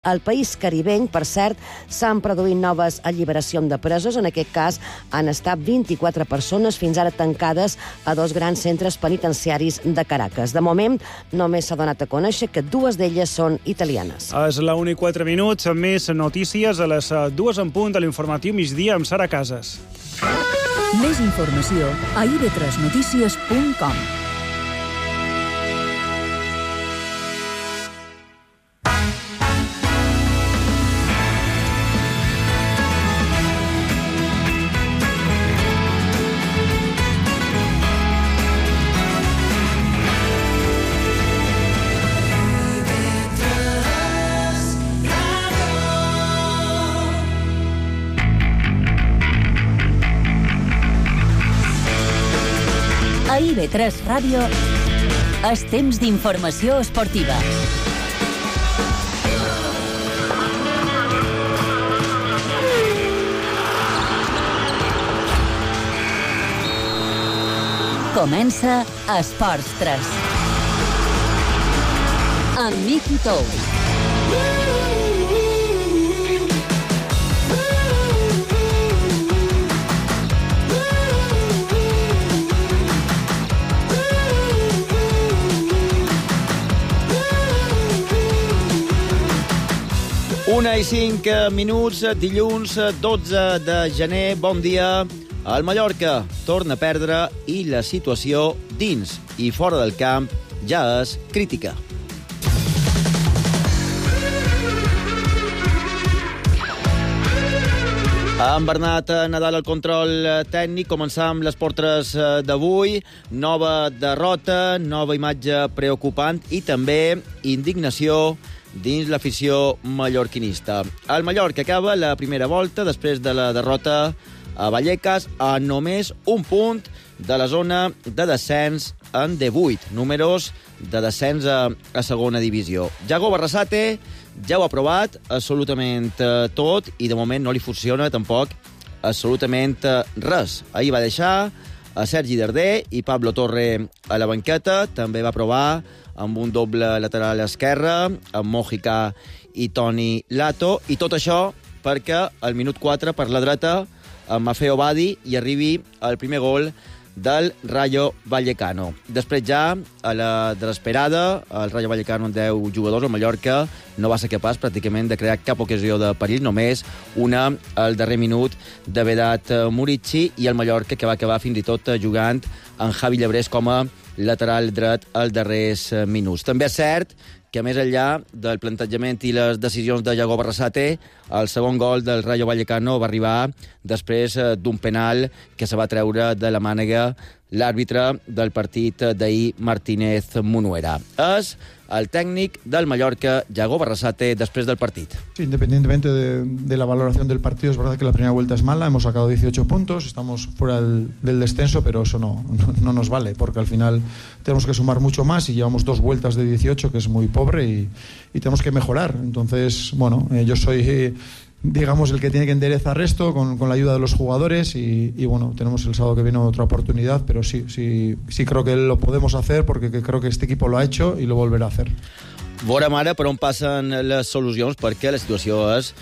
Al país caribeny, per cert, s'han produït noves alliberacions de presos. En aquest cas, han estat 24 persones fins ara tancades a 2 grans centres penitenciaris de Caracas. De moment, només s'ha donat a conèixer que 2 d'elles són italianes. És la 1:04, més notícies a les 2 en punt de l'informatiu migdia amb Sara Casas. Més informació a ib3notícies.com. A IB3 Ràdio és temps d'informació esportiva. Comença Esports 3. Amb Miqui Tous. Una i 5 minuts, dilluns 12 de gener. Bon dia. El Mallorca torna a perdre i la situació dins i fora del camp ja és crítica. Amb Bernat Nadal al control tècnic, començam les portres d'avui. Nova derrota, nova imatge preocupant i també indignació dins l'afició mallorquinista. El Mallorca acaba la primera volta després de la derrota a Vallecas a només un punt de la zona de descens en D8, números de descens a segona divisió. Yago Barrasate ja ho ha provat absolutament tot i de moment no li funciona tampoc absolutament res. Ahir va deixar a Sergi Darder i Pablo Torre a la banqueta, també va provar amb un doble lateral esquerre, amb Mojica i Toni Lato, i tot això perquè al minut 4 per la dreta amb Maffeo Badi hi arribi el primer gol del Rayo Vallecano. Després ja, a la desesperada, el Rayo Vallecano amb 10 jugadors, el Mallorca no va ser capaç pràcticament de crear cap ocasió de perill, només una al darrer minut de Vedat Murici, i el Mallorca que va acabar fins i tot jugant en Javi Llebrés com a lateral dret als darrers minuts. També és cert que més enllà del plantejament i les decisions de Yago Barrasate, el segon gol del Rayo Vallecano va arribar després d'un penal que se va treure de la mànega l'àrbitre del partit d'ahir, Martínez Munuera. És el técnico del Mallorca, Yago Barrasate, después del partido. Sí, independientemente de la valoración del partido, es verdad que la primera vuelta es mala, hemos sacado 18 puntos, estamos fuera del descenso, pero eso no nos vale, porque al final tenemos que sumar mucho más y llevamos 2 vueltas de 18, que es muy pobre, y tenemos que mejorar. Entonces, bueno, yo soy, digamos, el que tiene que enderezar esto con la ayuda de los jugadores y bueno, tenemos el sábado que viene otra oportunidad, pero sí creo que lo podemos hacer porque creo que este equipo lo ha hecho y lo volverá a hacer. Veurem ara per on passen les solucions, perquè la situació és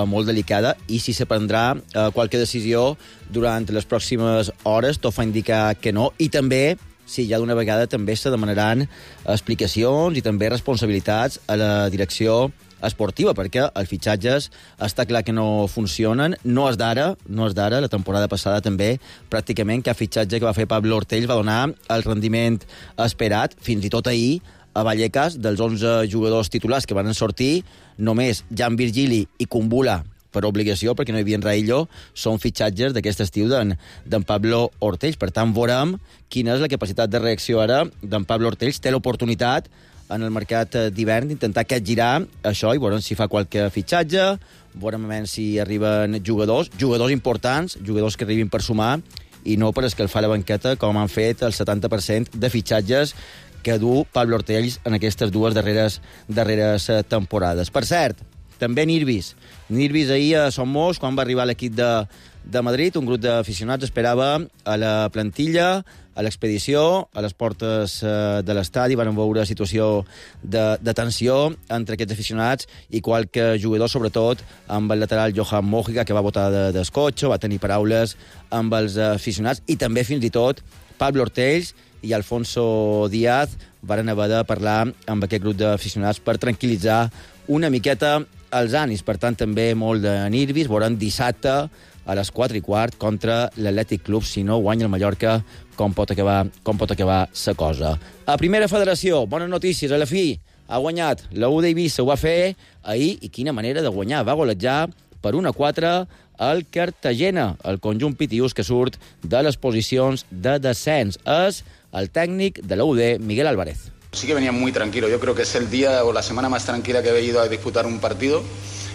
molt delicada i si se prendrà qualque decisió durant les pròximes hores, tot fa indicar que no, i també si ja d'una vegada també se demanaran explicacions i també responsabilitats a la direcció esportiva, perquè els fitxatges està clar que no funcionen, no és d'ara, la temporada passada també pràcticament cap fitxatge que va fer Pablo Ortells va donar el rendiment esperat, fins i tot ahir a Vallecas, dels 11 jugadors titulars que van sortir, només Jan Virgili i Kumbula per obligació, perquè no hi havia Raillo, són fitxatges d'aquest estiu d'en Pablo Ortells. Per tant, veurem quina és la capacitat de reacció ara d'en Pablo Ortells. Té l'oportunitat en el mercat d'hivern d'intentar capgirar això i veurem si fa qualque fitxatge, veurem si arriben jugadors importants, jugadors que arribin per sumar i no per escalfar la banqueta com han fet el 70% de fitxatges que du Pablo Ortells en aquestes 2 darreres temporades. Per cert, també Nirvis ahir a Somos, quan va arribar l'equip de Madrid. Un grup d'aficionats esperava a la plantilla, a l'expedició, a les portes de l'estadi. Van veure situació de tensió entre aquests aficionats i qualque jugador, sobretot amb el lateral Johan Mojica, que va botar d'escotxo, va tenir paraules amb els aficionats, i també fins i tot Pablo Ortells i Alfonso Díaz van haver de parlar amb aquest grup d'aficionats per tranquil·litzar una miqueta els ànims. Per tant, també molt de nervis. Veurem dissabte a les 4:15 contra l'Atlètic Club. Si no guanya el Mallorca, com pot acabar la cosa. A Primera Federació, bones notícies. A la fi ha guanyat la UD Eivissa, ho va fer ahir, i quina manera de guanyar. Va golejar per 1-4 el Cartagena, el conjunt pitiús que surt de les posicions de descens. És el tècnic de la UD, Miguel Álvarez. Sí que venía muy tranquilo. Yo creo que es el día o la semana más tranquila que he ido a disputar un partido,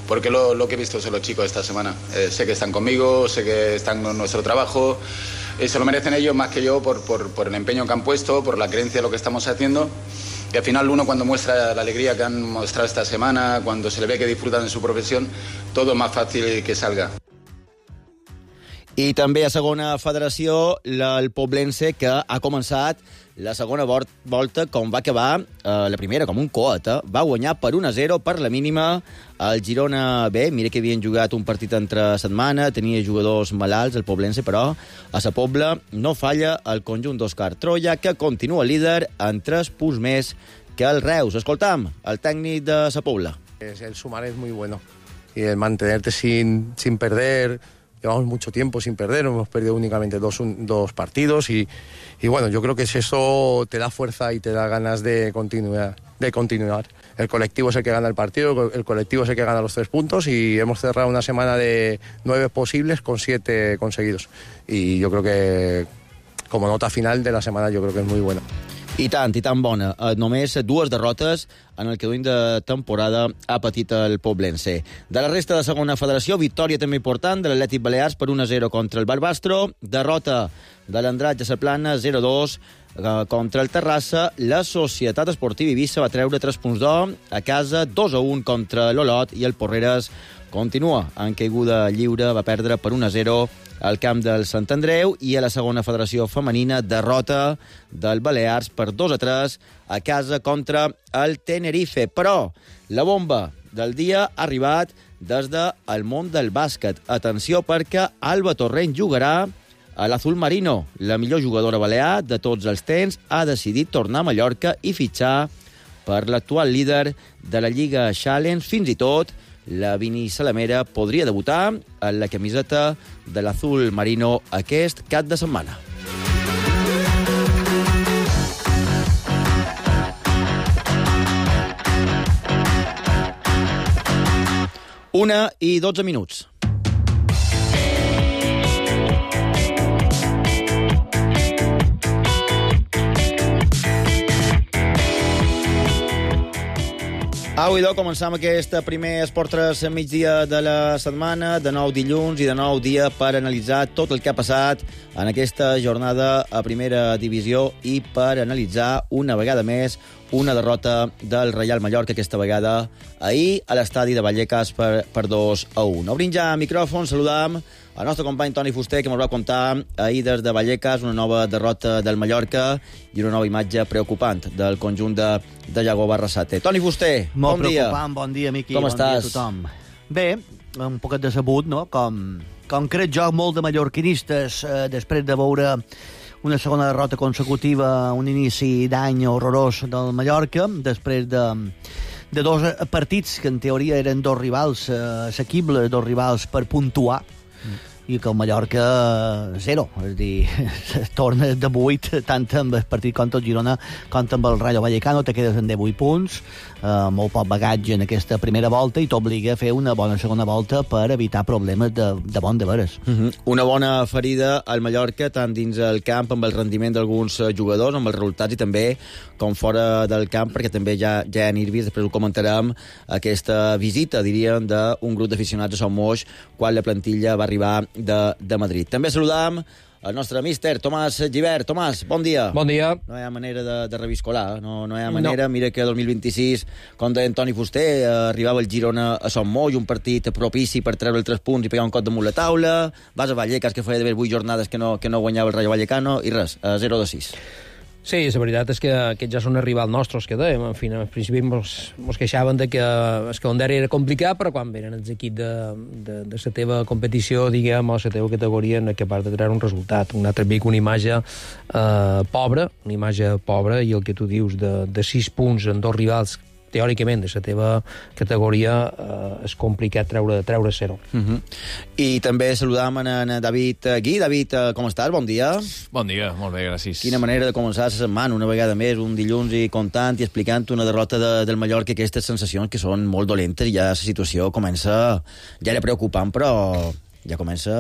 porque lo que he visto son los chicos esta semana. Sé que están conmigo, sé que están con nuestro trabajo. Se lo merecen ellos más que yo por el empeño que han puesto, por la creencia de lo que estamos haciendo. Y al final uno, cuando muestra la alegría que han mostrado esta semana, cuando se le ve que disfrutan de su profesión, todo es más fácil que salga. I també a Segona Federació, el Poblense, que ha començat la segona volta com va acabar la primera, com un coet. Va guanyar per 1-0 per la mínima el Girona B. Mira que havien jugat un partit entre setmana, tenia jugadors malalts, el Poblense, però a Sa Pobla no falla el conjunt d'Òscar Troia, que continua líder en 3 punts més que el Reus. Escoltam el tècnic de Sa Pobla. El sumar es muy bueno y el mantenerte sin perder. Llevamos mucho tiempo sin perder, hemos perdido únicamente dos partidos y bueno, yo creo que eso te da fuerza y te da ganas de continuar. El colectivo es el que gana el partido, el colectivo es el que gana los 3 puntos y hemos cerrado una semana de 9 posibles con 7 conseguidos. Y yo creo que como nota final de la semana yo creo que es muy buena. I tant bona. Només 2 derrotes en el que duim de temporada ha patit el Poblense. De la resta de Segona Federació, victòria també important de l'Atlètic Balears per 1-0 contra el Barbastro, derrota de l'Andratx a Saplana 0-2 contra el Terrassa. La Societat Esportiva Eivissa va treure 3 punts d'or a casa, 2-1 contra l'Olot, i el Porreres continua en caiguda lliure, va perdre per 1-0 al camp del Sant Andreu. I a la Segona Federació Femenina, derrota del Balears per 2-3 a casa contra el Tenerife. Però la bomba del dia ha arribat des del món del bàsquet. Atenció, perquè Alba Torrent jugarà a l'Azul Marino. La millor jugadora balear de tots els temps ha decidit tornar a Mallorca i fitxar per l'actual líder de la Lliga Challenge. Fins i tot la Vini Salamera podria debutar en la camiseta de l'Azul Marino aquest cap de setmana. Una i 12 minuts. Au, idò, començam aquest primer Esport 3 migdia de la setmana, de nou dilluns i de nou dia per analitzar tot el que ha passat en aquesta jornada a Primera Divisió i per analitzar una vegada més una derrota del Reial Mallorca, aquesta vegada ahir a l'estadi de Vallecas per 2-1. Obrim ja micròfon, saludam el nostre company Toni Fuster, que ens va contar ahir des de Vallecas una nova derrota del Mallorca i una nova imatge preocupant del conjunt de Iago Barrasate. Toni Fuster, molt bon dia. Preocupant, bon dia, Miqui. Com bon estàs? Dia a tothom. Bé, un poquet decebut, no? Com crec jo, molt de mallorquinistes, després de veure una segona derrota consecutiva, un inici d'any horrorós del Mallorca, després de 2 partits que en teoria eren 2 rivals assequibles, 2 rivals per puntuar, i que el Mallorca 0, és a dir, torna de 8 tant amb el partit contra el Girona com amb el Rayo Vallecano, te quedes en 18 punts, molt poc bagatge en aquesta primera volta i t'obliga a fer una bona segona volta per evitar problemes de bon de veres. Una bona ferida al Mallorca, tant dins el camp amb el rendiment d'alguns jugadors, amb els resultats, i també com fora del camp, perquè també ja hi ha nervis, després ho comentarem, aquesta visita, diríem, d'un grup d'aficionats a Son Moix quan la plantilla va arribar de Madrid. També saludam el nostre míster, Tomàs Gibert. Tomàs, bon dia. Bon dia. No hi ha manera de reviscolar, no hi ha manera. No. Mira que el 2026, com deia Antoni Fuster, arribava el Girona a Son Moll, un partit propici per treure els 3 punts i pegar un cop damunt la taula. Vas a Vallecas, que feia d'haver 8 jornades que no guanyava el Rayo Vallecano, i res, 0-6. Sí, la veritat és que aquests ja són el rival nostre, els que dèiem. En fi, al principi ens queixaven de que el calendari era complicat, però quan venen els equips de la teva competició, diguem, o la teva categoria, no és capaç de treure un resultat. Un altre vic, una imatge pobra, i el que tu dius de 6 punts en 2 rivals teòricament de la teva categoria és complicat treure 0. I també saludam en David Gui. David, com estàs? Bon dia. Bon dia, molt bé, gràcies. Quina manera de començar la setmana, una vegada més, un dilluns, i contant i explicant una derrota del Mallorca, aquestes sensacions que són molt dolentes, i ja la situació comença, ja era preocupant, però ja comença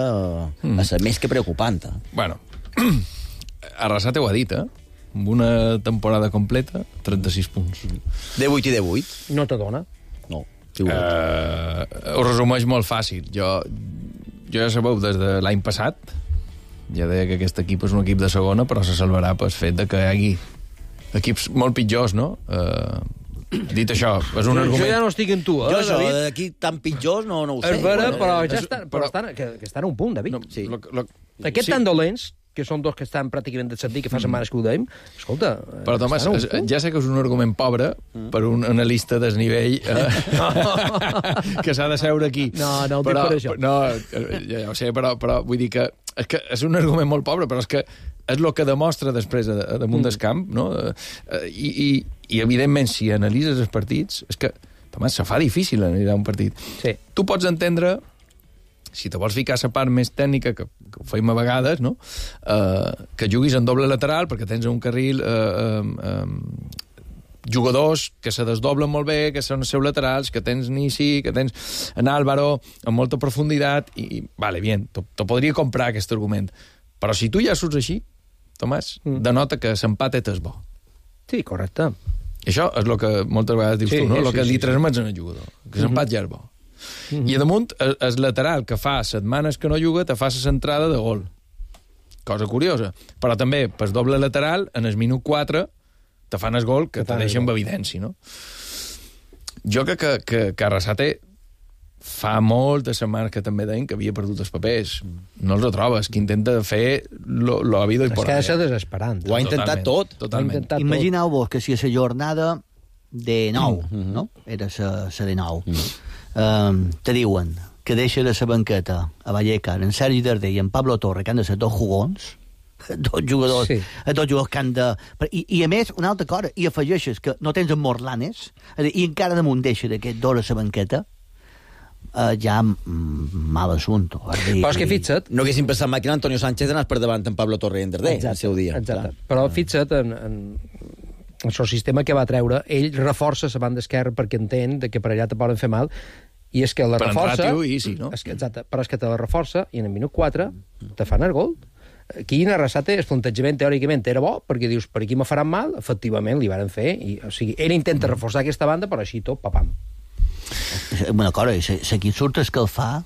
a ser més que preocupant. Bueno, Arrasate ho ha dit, amb una temporada completa, 36 punts. De 8 i de 8? No te dona? No. Ho resumeix molt fàcil. Jo ja sabeu, des de l'any passat, ja deia que aquest equip és un equip de segona, però se salvarà pel fet de que hi hagi equips molt pitjors, no? Dit això, és un argument... Jo ja no estic en tu, Jo David? d'aquí tan pitjors no ho sé. És vera, però estan a un punt, David. Sí. Aquests tan dolents, que són 2 que estan pràcticament de sentit, que fa setmanes que ho dèiem, escolta... Però, Tomàs, ja sé que és un argument pobre per un analista desnivell que s'ha de seure aquí. No ho dic per això. No, ja ho sé, però vull dir que és un argument molt pobre, però és que és el que demostra després damunt del camp, no? I evidentment, si analitzes els partits, és que, Tomàs, se fa difícil analitzar un partit. Sí. Tu pots entendre, si te vols ficar la part més tècnica, que ho feim a vegades, no? Que juguis en doble lateral, perquè tens un carril jugadors que se desdoblen molt bé, que són els seus laterals, que tens Nisi, que tens en Álvaro, amb molta profunditat, i vale, bien, te podria comprar aquest argument. Però si tu ja surts així, Tomàs, denota que l'empat és bo. Sí, correcte. I això és el que moltes vegades dius tu, no? El que li transmets al jugador, que l'empat ja és bo. I a damunt, el lateral que fa setmanes que no juga te fa la centrada de gol. Cosa curiosa. Però també, per doble lateral, en el minut 4 te fan el gol que te deixa amb evidència, no? Jo crec que Arrasate fa moltes setmanes que també deien que havia perdut els papers. No els retrobes, que intenta fer lo habido y por haber. És que ha de ser desesperant. Ho ha intentat tot. Totalment. Imagineu-vos que si és la jornada de 9, no? Era la de 9. Te diuen que deixa de la banqueta a Vallecas en Sergi Darder i en Pablo Torre, que han de ser 2 jugons, 2 jugadors, sí. 2 jugadors que han de... I a més, una altra cosa, i afegeixes que no tens en Morlanes, i encara damunt deixa d'aquest 2 a la banqueta, ja mal assumpte. Però és que fixa't... No haguéssim pensat mai que Antonio Sánchez anés per davant en Pablo Torre i en Darder, el seu dia. Exacte. Però fixa't en el sistema que va treure, ell reforça la banda esquerra perquè entén que per allà te poden fer mal, i és que la reforça... no? Exacte, però és que te la reforça i en el minut 4 te fan el gol. Aquí en Arrasate el plantejament teòricament era bo, perquè dius, per aquí me faran mal, efectivament li varen fer, o sigui, ell intenta reforçar aquesta banda, però així tot, papam. Una cosa, l'equip surt a escalfar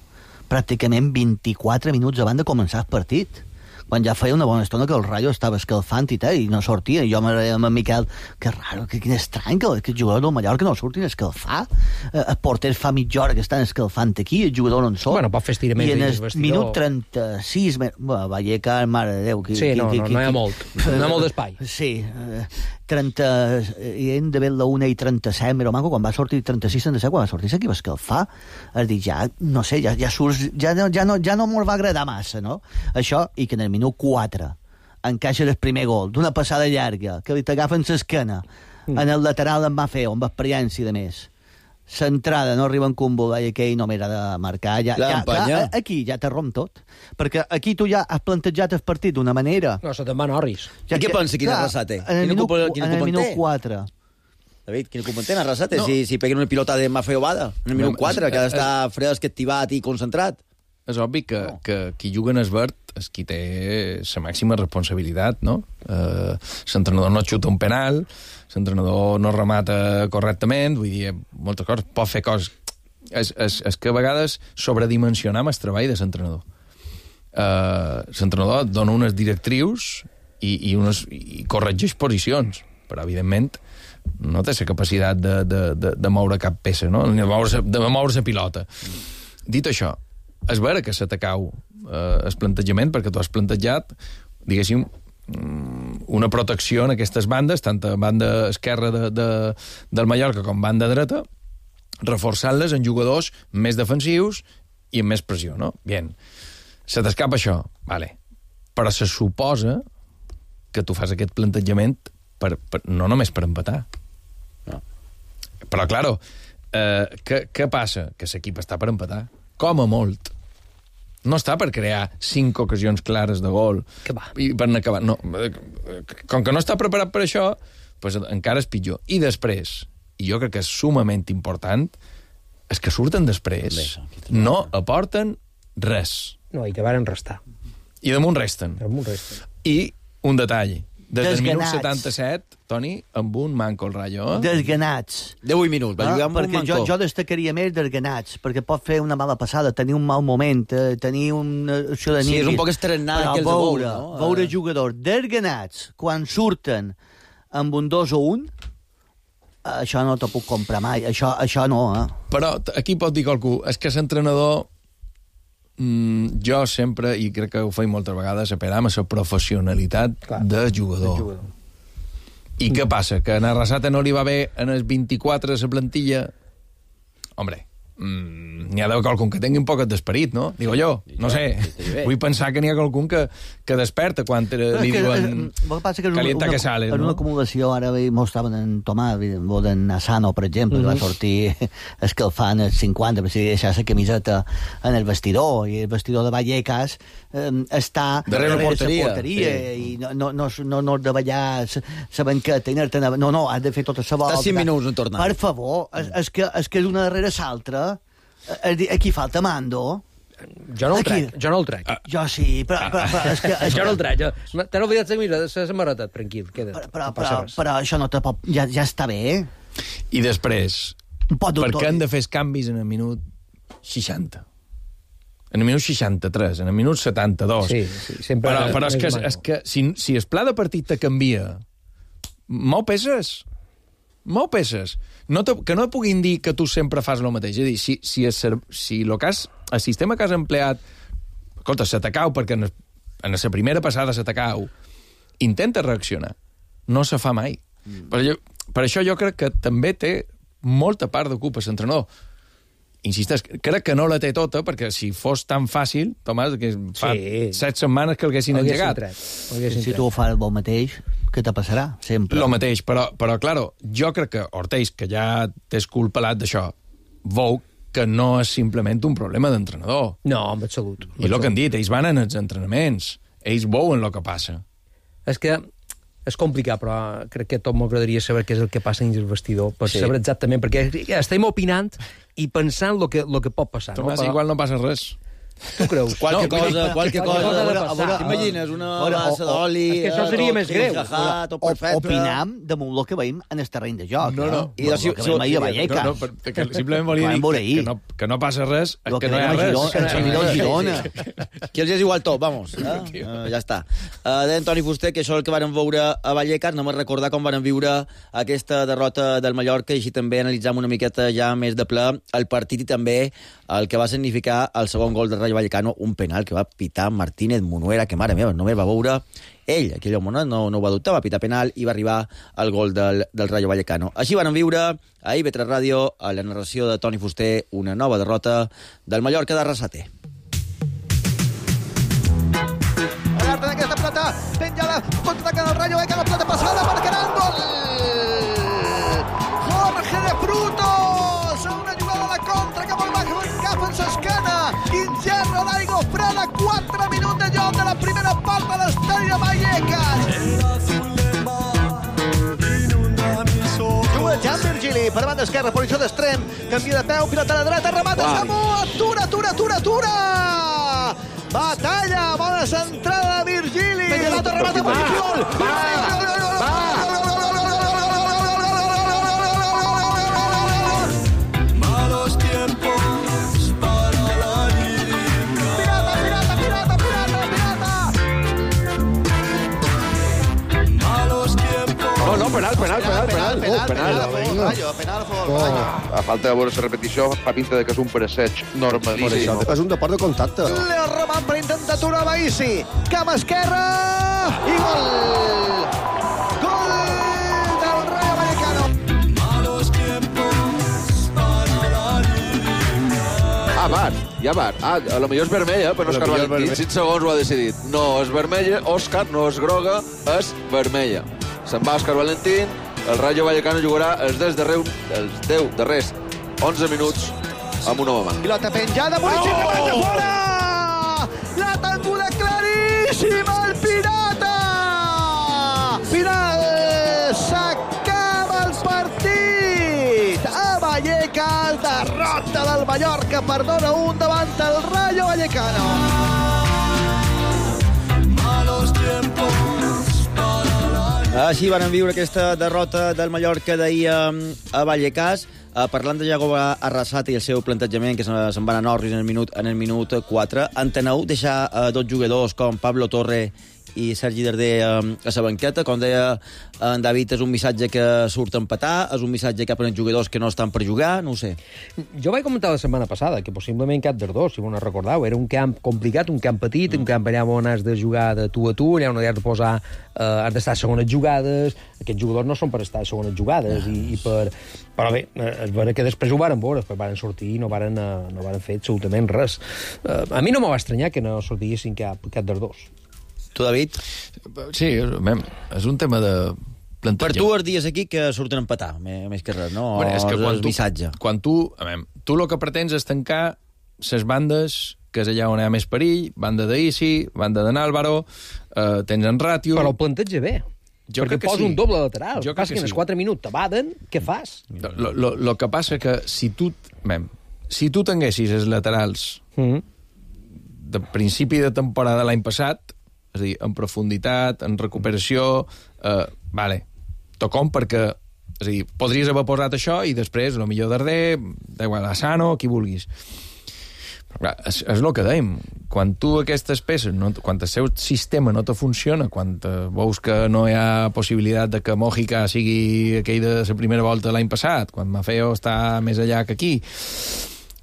pràcticament 24 minuts abans de començar el partit, quan ja feia una bona estona que el Rayo estava escalfant i tal, i no sortia. I jo m'agradaria amb en Miquel, que raro, que estrany que el jugador del Mallorca no surtin a escalfar. El porter fa mitja hora que estan escalfant aquí, el jugador no en surt. Bueno, pot fer estiraments. I en el minut 36... Vallecas, mare de Déu... Sí, no hi ha molt. No hi ha molt d'espai. Sí, 30... I hem de ver la 1 i 37, però maco, quan va sortir 36-37, quan va sortir s'equip a escalfar, has dit, ja, no sé, ja surts... Ja no m'ho va agradar massa, no? Això, i que en el minut 4 encaixa el primer gol d'una passada llarga que li t'agafen l'esquena en el lateral en va fer amb experiència de més, centrada, no arriba en combo i aquell no m'era de marcar aquí ja te romp tot, perquè aquí tu ja has plantejat el partit d'una manera. No, se te'n va Norris. I què pensa quin Arrasate? En el minut 4 David, quin culpa en té Arrasate? Si peguen una pilota de Mafeo Bada en el minut 4, que ha d'estar fresc, activat i concentrat. És obvi que qui juga en el verd és qui té la màxima responsabilitat, no? L'entrenador no xuta un penal, l'entrenador no remata correctament, vull dir, moltes coses, pot fer coses... És que a vegades sobredimensionem el treball de l'entrenador. l'entrenador dona unes directrius i corregeix posicions, però, evidentment, no té la capacitat de moure cap peça, no? De moure la pilota. Dit això, és vera que se t'acau el plantejament, perquè tu has plantejat, diguéssim, una protecció en aquestes bandes, tant a banda esquerra del Mallorca com banda dreta, reforçant-les en jugadors més defensius i amb més pressió, no? Bien. Se t'escapa això, vale. Però se suposa que tu fas aquest plantejament no només per empatar. No. Però, claro, què passa? Que l'equip està per empatar. Com a molt. No està per crear 5 ocasions clares de gol. Que va. I per acabar. No. Com que no està preparat per això, pues encara és pitjor. I després, i jo crec que és sumament important, és que surten després. No aporten res. No, i que varen restar. I damunt resten. I un detall. Des del minut 77, Toni, amb un manco el Rayo. Desganats. 18 minuts, va jugar amb un manco. Jo destacaria més desganats, perquè pot fer una mala passada, tenir un mal moment, tenir una opció de nit. Sí, és un poc estrenat que els de veure, no? Veure jugadors desganats, quan surten amb un 2 o 1, això no t'ho puc comprar mai, això no, Però aquí pot dir qualcú, és que l'entrenador, jo sempre, i crec que ho faig moltes vegades, apel·lam a la professionalitat de jugador. I què passa? Que a Arrasate no li va bé en els 24 de la plantilla? Hombre, n'hi ha d'haver qualcun que tingui un poc d'esperit, no? Digo jo, no sé. Vull pensar que n'hi ha qualcun que desperta quan li diuen calienta que sale. En una acumulació, ara mostraven en Tomàs, en Asano, per exemple, que va sortir escalfant els 50, per si deixar la camiseta en el vestidor, i el vestidor de Vallecas està darrere la porteria, i no de ballar la banqueta, no, has de fer tota la volta. Està 5 minuts en tornar. Per favor, és que és una darrere l'altra. Aquí falta mando. Jo no el trec. Jo sí, però és que... Jo no el trec. T'han oblidat la samarreta, tranquil, queda. Però això no te pot... Ja està bé. I després, per què han de fer els canvis en el minut 60? En el minut 63, en el minut 72. Sí, sempre... Però és que si el pla de partit te canvia, mou peces. Que no puguin dir que tu sempre fas el mateix. És a dir, si el sistema que has empleat, escolta, se t'acau perquè en la primera passada se t'acau, intenta reaccionar. No se fa mai. Per això jo crec que també té molta part de culpa l'entrenador. Insisteix, crec que no la té tota, perquè si fos tan fàcil, Tomàs, que fa 7 setmanes que l'haguessin engegat. Si tu ho fas el mateix, què te passarà? Sempre. Lo mateix, però claro, jo crec que Ortells, que ja t'és culpalat d'això, veu que no és simplement un problema d'entrenador. No, en absolut. I el que han dit, ells van en els entrenaments, ells veuen el que passa. És que és complicat, però crec que tot m'agradaria saber què és el que passa dins el vestidor, per saber exactament, perquè estem opinant i pensant el que pot passar. Tomàs, igual no passa res. Tu creus? Qualque cosa. T'imagines una bassa d'oli... És que això seria més greu. Opinam damunt el que veiem en el terreny de joc. No. I el que veiem ahir a Vallecas. Simplement volia dir que no passa res, que no hi ha res. Girona. Que els és igual tot, vamos. Ja està. Deia Toni Fuster que això és el que varen veure a Vallecas, no me'n recordar com varen viure aquesta derrota del Mallorca, i així també analitzam una miqueta ja més de ple el partit i també el que va significar el segon gol del Rayo Vallecano, un penal que va pitar Martínez Munuera, que mare meva, només va veure ell, aquell home no ho va dubtar, va pitar penal i va arribar al gol del Rayo Vallecano. Així van viure a IB3 Ràdio, a la narració de Toni Fuster, una nova derrota del Mallorca d'Arrasate. Alerta d'aquesta pilota, penja la contraataca del Rayo Vallecano, pilota passada per Grandol. Jorge de Frutos, una jugada de contra que vol cap en s'esquena. Ingerro d'aigua freda, 4 minuts de joc de la primera part de l'estadi de Vallecas. Juga Jan Virgili per banda esquerra, posició d'extrem, canvia de peu, pilota a la dreta, remata Samu, atura! Batalla, bona centrada de Virgili. Remata posició. Pirata, A falta de veure la repetició, fa pinta de que és un presseig normalíssim. És un deport de contacte. Leo Roman per intentar aturar Baïssi. Cap esquerra i gol! Gol del Rayo Vallecano. VAR, hi ha VAR. A lo millor és vermella, però Òscar Valentín 5 segons ho ha decidit. No és vermella, Òscar no és groga, és vermella. Se'n va Òscar Valentín, el Rayo Vallecano jugarà els 10 darrers 11 minuts amb un home manc. Pilota penjada, Murici, remata fora! La tangula claríssima, el Pirata! Final! S'acaba el partit! A Vallecas, derrota del Mallorca per 2-1 davant el Rayo Vallecano. Malos tiempos. Així van viure aquesta derrota del Mallorca d'ahir a Vallecas. Parlant de Iago Arrasate i el seu plantejament, que se'n van a Norris en el minut 4, enteneu deixar dos jugadors com Pablo Torre i Sergi Darder a la banqueta? Com deia en David, és un missatge que surt a empatar, és un missatge cap als jugadors que no estan per jugar, no ho sé. Jo vaig comentar la setmana passada que possiblement cap dels dos, si m'ho recordeu, era un camp complicat, un camp petit, un camp allà on has de jugar de tu a tu, allà on has de posar, has d'estar a segones jugades, aquests jugadors no són per estar a segones jugades, i per... Però bé, és vera que després ho varen veure, després varen sortir i no varen fer absolutament res. A mi no m'ho va estranyar que no sortissin cap dels dos. Tu, David? Sí, és un tema de plantejar. Per tu els dies aquí que surten a empatar, més que res, no? Bueno, és que el missatge. Quan tu el que pretens és tancar les bandes, que és allà on hi ha més perill, banda d'Isi, banda de Nálvaro, tens en Ràtio... Però el planteja bé. Jo perquè posa un doble lateral. Jo que en els 4 minuts t'abaden, què fas? Lo que passa que si tu tinguessis els laterals de principi de temporada l'any passat, és a dir, en profunditat, en recuperació, tocom perquè, és a dir, podries haver posat això i després, el millor Darder, d'igual a Sano, qui vulguis. Però clar, és el que dèiem. Quan tu aquestes peces, quan el seu sistema no te funciona, quan veus que no hi ha possibilitat de que Mojica sigui aquell de la primera volta l'any passat, quan Maffeo està més allà que aquí,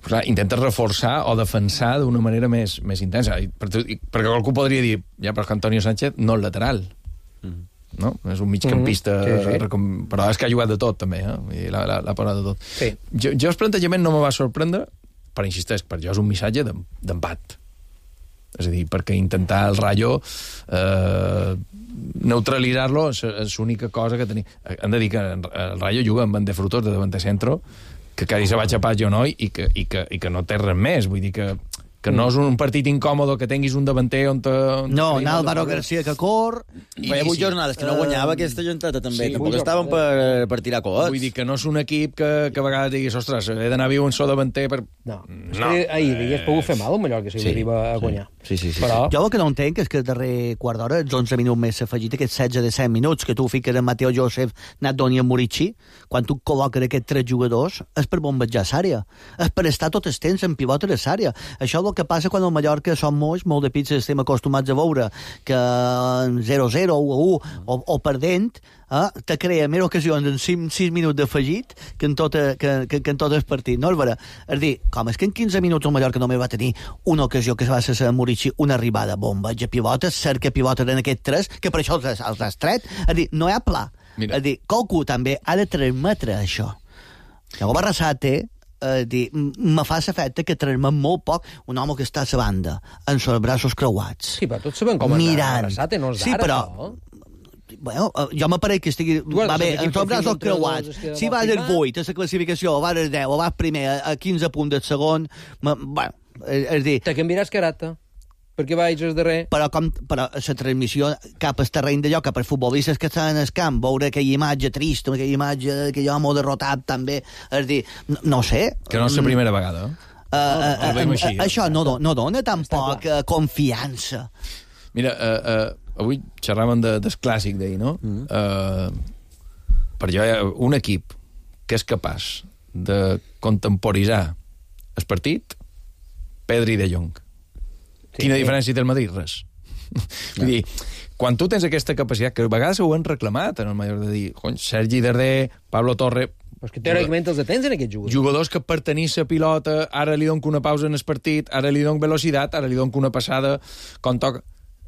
clar, intentes reforçar o defensar d'una manera més intensa. Perquè algú podria dir, ja, però que Antonio Sánchez no és lateral. No? És un migcampista, però és que ha jugat de tot, també. I l'ha posat de tot. Sí. Jo el plantejament no me va sorprendre, però insisteix, per jo és un missatge d'empat. És a dir, perquè intentar el Rayo neutralitzar-lo és l'única cosa que tenim. Hem de dir que el Rayo juga amb Bande Frutos de davanter centro, que quasi se va xapar Jonoi i que no té res més. Vull dir que no és un partit incòmodo que tinguis un davanter on... No, Álvaro García que cor... Feia 8 jornades que no guanyava aquesta gentata també. Sí, tampoc estaven per tirar coets. Vull dir que no és un equip que a vegades diguis, ostres, he d'anar viu un sol davanter per... No. Ahir hagués pogut fer mal el Mallorca si arriba a guanyar. Sí. Però... Jo el que no entenc és que el darrer quart d'hora, els 11 minuts més afegit, aquests 16 de 7 minuts que tu fiques en Mateo Joseph, Nadoni i Murici, quan tu col·loques aquests 3 jugadors, és per bombejar l'àrea. És per estar tot el temps en pivot a l'àrea. Això és el que passa quan al Mallorca som molt de pizzas, estem acostumats a veure que 0-0 o 1 o perdent te crea més ocasions en 6 minuts d'afegit que en tot el partit. No és vera? És dir, com és que en 15 minuts el Mallorca només va tenir una ocasió que va ser a Murici, una arribada bombeig a pivotes, cerca pivotes en aquests 3, que per això els has tret. És dir, no hi ha pla. És dir, qualcú també ha de transmetre això. Llavors Arrasate me fa l'efecte que transmet molt poc un home que està a la banda, amb els braços creuats. Sí, però tots sabem com és Arrasate, no és d'ara, però... Bueno, jo m'apareix que estigui... Va bé, amb els braços creuats. Si vas al 8 a la classificació, o vas al 10, o vas primer a 15 punts del segon... Bueno, és dir... Te canviaràs caràcter. Perquè vaig al darrer. Però la transmissió cap al terreny d'allò, cap als futbolistes que estan al camp, veure aquella imatge trista, aquella imatge que jo m'ho derrotat també, és dir, no sé... Que no és la primera vegada. Això no dona tampoc confiança. Mira, avui xerràvem del clàssic d'ahir, no? Per jo hi ha un equip que és capaç de contemporitzar el partit, Pedri i De Jong. Quina diferència té el Madrid? Res. Vull dir, quan tu tens aquesta capacitat, que a vegades ho han reclamat en el Mallorca, de dir, Sergi Darder, Pablo Torre... Però és que teòricament els detens en aquests jugadors. Jugadors que per tenir la pilota, ara li dono una pausa en el partit, ara li dono velocitat, ara li dono una passada, com toca...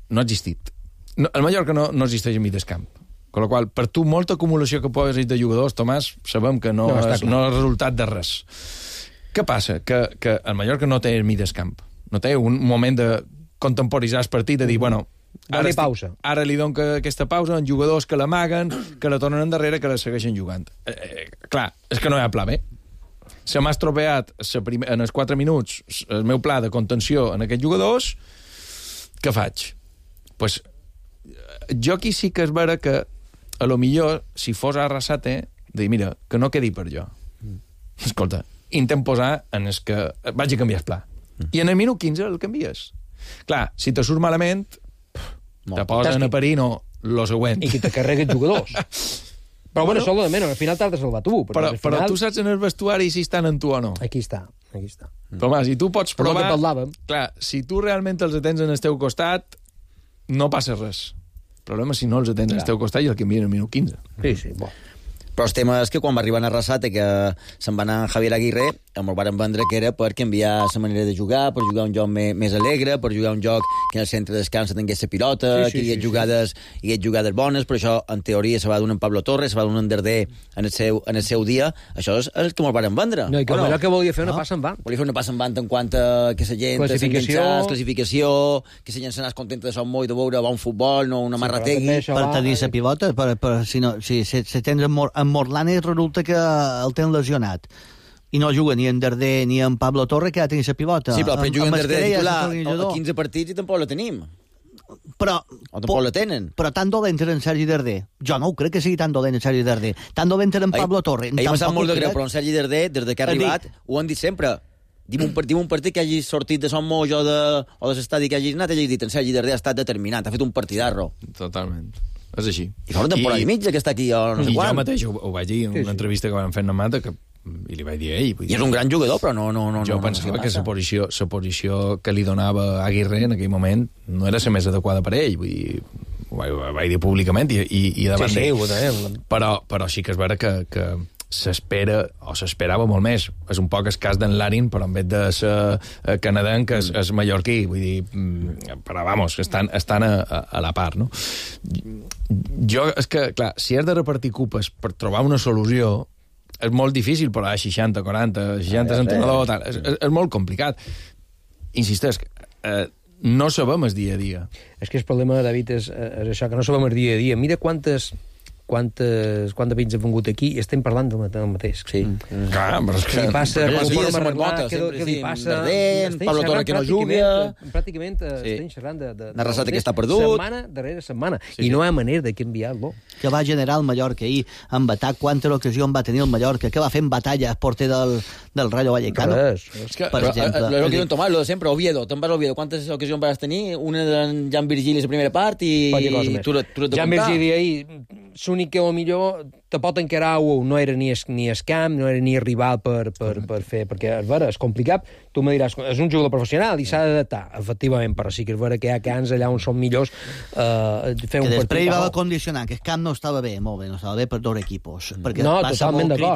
No ha existit. No, el Mallorca no existeix en mig del camp. Con la qual, per tu, molta acumulació que pots de jugadors, Tomàs, sabem que no és resultat de res. Què passa? Que el Mallorca no té el mig del camp. No té un moment de contemporitzar el partit, de dir, bueno... Ara li dono aquesta pausa en jugadors que l'amaguen, que la tornen endarrere, que la segueixen jugant. Clar, és que no hi ha pla B. Se m'ha estropeat en els 4 minuts el meu pla de contenció en aquests jugadors, què faig? Pues, jo aquí sí que és vera que a lo millor, si fos Arrasate, de dir, mira, que no quedi per jo. Escolta, intent posar en el que vaig a canviar el pla. I en el minut 15 el canvies. Clar, si te surt malament, te posen a parir, no, lo següent. I que te carregues jugadors. Però bueno, això és de menys, al final t'has de salvar tu. Però tu saps en el vestuari si estan en tu o no. Aquí està. Tomàs, i tu pots provar... Però que parlàvem. Clar, si tu realment els tens en el teu costat, no passa res. El problema és si no els tens en el teu costat i el canvien al minut 15. Sí, bo. Però el tema és que quan va arribar a Arrasate, que se'n va anar Javier Aguirre, el varen vendre que era per canviar la manera de jugar, per jugar un joc més alegre, per jugar un joc que en el centre de descans tingués la pilota, que hi hagués jugades bones, però això, en teoria, se va donar en Pablo Torres, se va donar en Darder en el seu dia. Això és el que me'l varen vendre. No, i que allò que volia fer una passa en van. Volia fer una passa en van en quant a que la gent classificació, que la gent se n'és contenta de son molt de veure bon futbol, no una marrategui. Per tenir la pilota, si tens en Morlane resulta que el tenen lesionat i no juga ni en Darder ni en Pablo Torre, que ha tenir la pilota. Sí, però juga en Darder titular a 15 partits i tampoc la tenim. Però tampoc la tenen. Però tan dolent era en Sergi Darder. Jo no ho crec que sigui tan dolent en Sergi Darder. Tan dolent era en Pablo Torre. M'ha sap molt de greu, però en Sergi Darder, des que ha arribat, ho han dit sempre. Dim un partit que hagi sortit de Son Moix o de l'estadi que hagi anat, i hagi dit en Sergi Darder ha estat determinant, ha fet un partidarro. Totalment. És així. I fa una temporada i mitja que està aquí, o no sé quan. I jo mateix ho vaig dir en una entrevista que vam fer en Mata, i li vaig dir a ell. I és un gran jugador, però no... Jo pensava que la posició que li donava Aguirre en aquell moment no era la més adequada per ell. Vull dir, ho vaig dir públicament i davant d'ell. Però sí que és vera que s'esperava molt més. És un poc el cas d'en Larin, però en vez de ser canadenc és mallorquí. Vull dir, però vamos, estan a la part, no? Jo, és que, clar, si has de repartir cupes per trobar una solució, és molt difícil, però 60, 40, 60 entrenador, tal, és molt complicat. Insisteix, no sabem el dia a dia. És que el problema, David, és això, que no sabem el dia a dia. Mira quantes veïns han vingut aquí i estem parlant del mateix. Sí. Clar, però és que... Què li passa? Què li passa? Pablo Torre que no juga... Pràcticament estem xerrant de... Arrasate que està perdut. Setmana darrere setmana. I no hi ha manera de canviar-lo. Que va generar el Mallorca ahir amb atac. Quanta ocasió va tenir el Mallorca? Que va fer en batalla el porter del Rayo Vallecano? Per exemple. Lo que diuen Tomàs, lo de sempre, Oviedo. Te'n vas a Oviedo. Quantes ocasions vas tenir? Una d'en Jan Virgili a la primera part i... Jan Virgili ahir... L'únic que millor te pot encarar no era ni el camp, no era ni el rival per fer, perquè és vera, és complicat. Tu me diràs, és un jugador professional i s'ha d'adaptar, efectivament, però sí que és vera que hi ha camps allà on són millors fer un partit. Que després hi va condicionar, que el camp no estava bé, molt bé, no estava bé per dos equipos. Perquè no, totalment d'acord.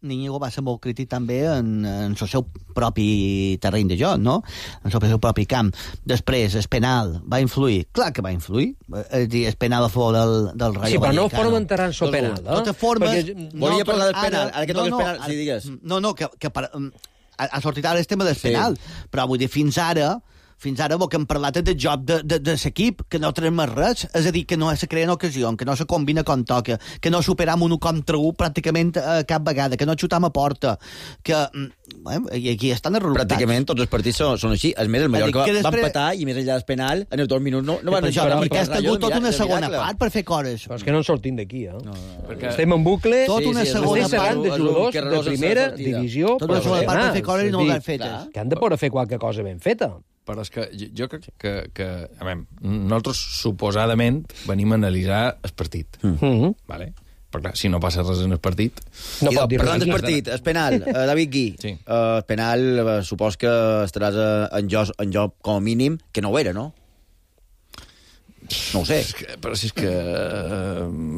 Íñigo va ser molt crític també en el seu propi terreny de joc, no? En el seu propi camp. Després, el penal va influir. Clar que va influir. És dir, el penal a favor del Rayo Vallecano. Sí, però no forma enterrar en el penal. De totes formes... Volia parlar del penal, ara que toca el penal, si digues. No, que ha sortit ara el tema del penal, però vull dir, fins ara el que hem parlat és del joc de l'equip, que no tenim més res, és a dir, que no se creen ocasions, que no se combina com toca, que no superam un contra un pràcticament cap vegada, que no xutam a porta, que... I aquí estan els resultats. Pràcticament tots els partits són així. El Mallorca va empatar i més enllà del penal, en els 2 minuts no van... Perquè has tingut tota una segona part per fer coses. Però és que no en sortim d'aquí, Estem en bucle, tota una segona part de jugadors de primera divisió, tota una segona part per fer coses i no l'han fetes. Que han de poder fer qualque cosa ben feta. Però és que jo crec que a veure, nosaltres suposadament venim a analitzar el partit. Vale? Però clar, si no passa res en el partit... No pot dir res. Parlant del partit, el penal, David Gui, el penal supos que estaràs en joc com a mínim, que no ho era, no? No ho sé. Però si és que...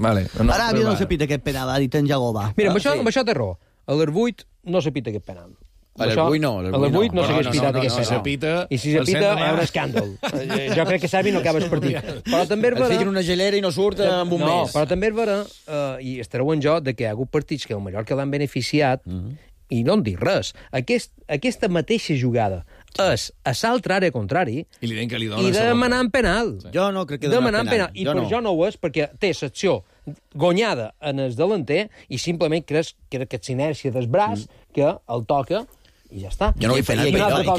Vale. No, Aràbia no se pita aquest penal, ha dit en Jagobà. Mira, amb això té raó. A l'R8 no se pita aquest penal. A l'R8 no. A l'R8 no s'hagués pitat aquest penal. Si se pita... I si se pita, hi ha un escàndol. Jo crec que Servi no acaba el partit. Però també és vera... Es fiquen una gelera i no surt amb un mes. No, però també és vera, i estareu en jo, que hi ha hagut partits que el Mallorca l'han beneficiat, i no en dic res. Aquesta mateixa jugada és a l'altra àrea contrari i demanar en penal. Jo no crec que demanar penal. I per jo no ho és, perquè té secció guanyada en el delanter i simplement creus que aquesta inèrcia del braç que el toca i ja està. Jo no vull fer una altra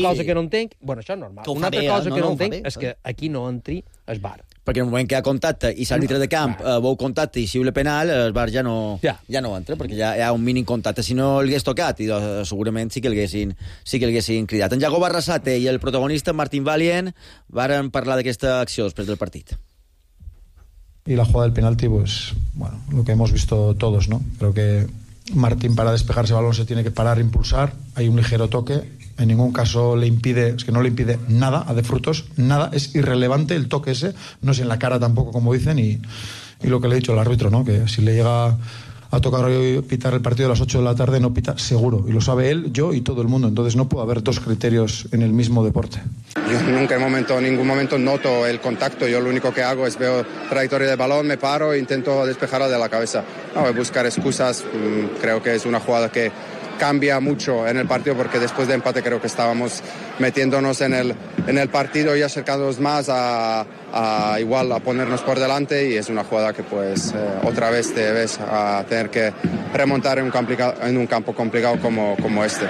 cosa que no entenc... Bueno, això és normal. Una altra cosa que no entenc és que aquí no entri el VAR. Perquè en el moment que hi ha contacte i l'àrbitre de camp veu contacte i xiula penal, el VAR ja no entra, perquè ja hi ha un mínim contacte. Si no l'hagués tocat, i segurament sí que l'haguessin cridat. En Jago Barrasate i el protagonista, Martín Valient, varen parlar d'aquesta acció després del partit. Y la jugada del penalti, pues, bueno, lo que hemos visto todos, ¿no? Creo que Martín, para despejarse el balón, se tiene que parar, impulsar. Hay un ligero toque. En ningún caso le impide, es que no le impide nada a De Frutos, nada. Es irrelevante el toque ese. No es en la cara tampoco, como dicen. Y lo que le he dicho al árbitro, ¿no? Que si le llega a tocar hoy pitar el partido a las 8 de la tarde, no pita seguro. Y lo sabe él, yo y todo el mundo. Entonces no puede haber dos criterios en el mismo deporte. Yo nunca en ningún momento noto el contacto. Yo lo único que hago es veo trayectoria del balón, me paro e intento despejarla de la cabeza. No voy a buscar excusas. Creo que es una jugada que cambia mucho en el partido, porque después de empate creo que estábamos metiéndonos en el partido y acercándonos más a igual a ponernos por delante, y es una jugada que pues otra vez te ves a tener que remontar en un campo complicado como este.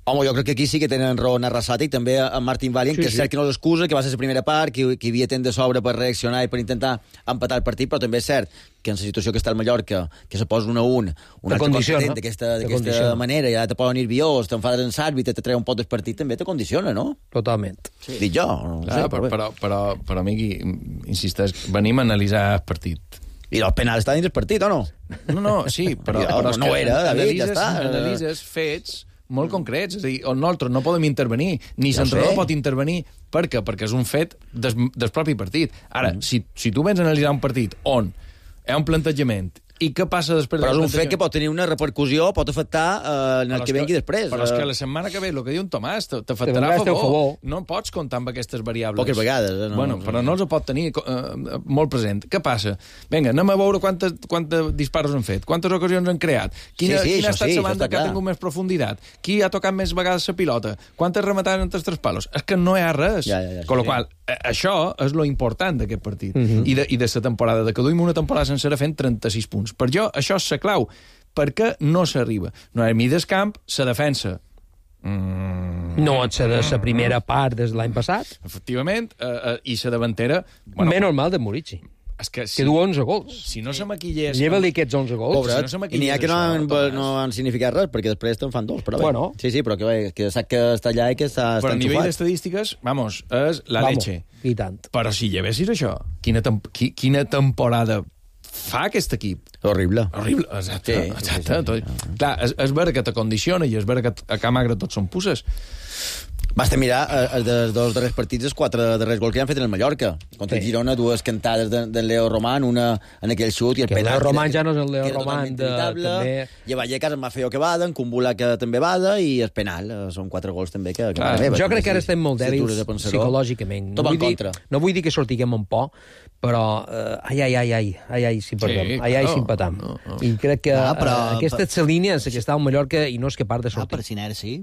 Home, jo crec que aquí sí que tenen raó en Arrasate i també en Martín Valient, que és cert que no l'excusa, que va ser la primera part, que hi havia temps de sobre per reaccionar i per intentar empatar el partit, però també és cert que en la situació que està el Mallorca, que se posa 1-1, un altre content d'aquesta manera, ja te poden nerviós, t'enfades en l'àrbitre, te treu un pot del partit, també te condiciona, no? Totalment. Sí. Dic jo, no clar, sé. Però Miqui, insisteix, venim a analitzar el partit. I el penal està dins el partit, o no? No, sí, però no era, David, ja està. Analitzes fets molt concrets, és a dir, on nosaltres no podem intervenir, ni l'entrenador pot intervenir. Per què? Perquè és un fet del propi partit. Ara, si tu vens a analitzar un partit on hi ha un plantejament i què passa després... Però és un fet que pot tenir una repercussió, pot afectar en el que vengui després. Però és que la setmana que ve, el que diu en Tomàs, t'afectarà a favor. No pots comptar amb aquestes variables. Poques vegades. No, bueno, però no els pot tenir molt present. Què passa? Vinga, anem a veure quantes disparos han fet, quantes ocasions han creat, quina ha estat la banda que ha tingut més profunditat, qui ha tocat més vegades la pilota, quantes rematades entre els tres palos. És que no hi ha res. Con la qual això és lo important d'aquest partit. I de la temporada, de que duim una temporada sencera fent 36 punts. Per jo, això és la clau. perquè no s'arriba. No hi ha mides camp, la defensa... No et serà la primera part des de l'any passat. Efectivament, i la davantera... Bueno, menys mal de Murici. És que du 11 gols. Si no se maquillés... Lleva-li aquests 11 gols. Pobret, si no i n'hi ha que no han significat res, perquè després te'n fan dos. Però bueno. Sí, però que sap que està allà i que està enxufat. Però a nivell d'estadístiques, vamos, és la leche. I tant. Però si llevessis això, quina temporada fa aquest equip? Horrible. Horrible, exacte. Sí. Clar, és vera que t'acondiciona i és vera que a Camp Agre tots són pusses. Basta mirar els dos darrers partits, els 4 darrers gols que han fet en el Mallorca. Contra el Girona, 2 cantades del Leo Román, una en aquell xut i el penal. El Leo Román ja no és el Leo Román també... I a Vallecas en Mafeo que bada, en Kumbula que també bada, i el penal. Són 4 gols també que... Jo crec que ara estem molt dèbils psicològicament. Tot en contra. No vull dir que sortiguem un por, però ai, si perdem, ai, si empatam. I crec que aquesta és la línia en què està el Mallorca i no és que part de sortir.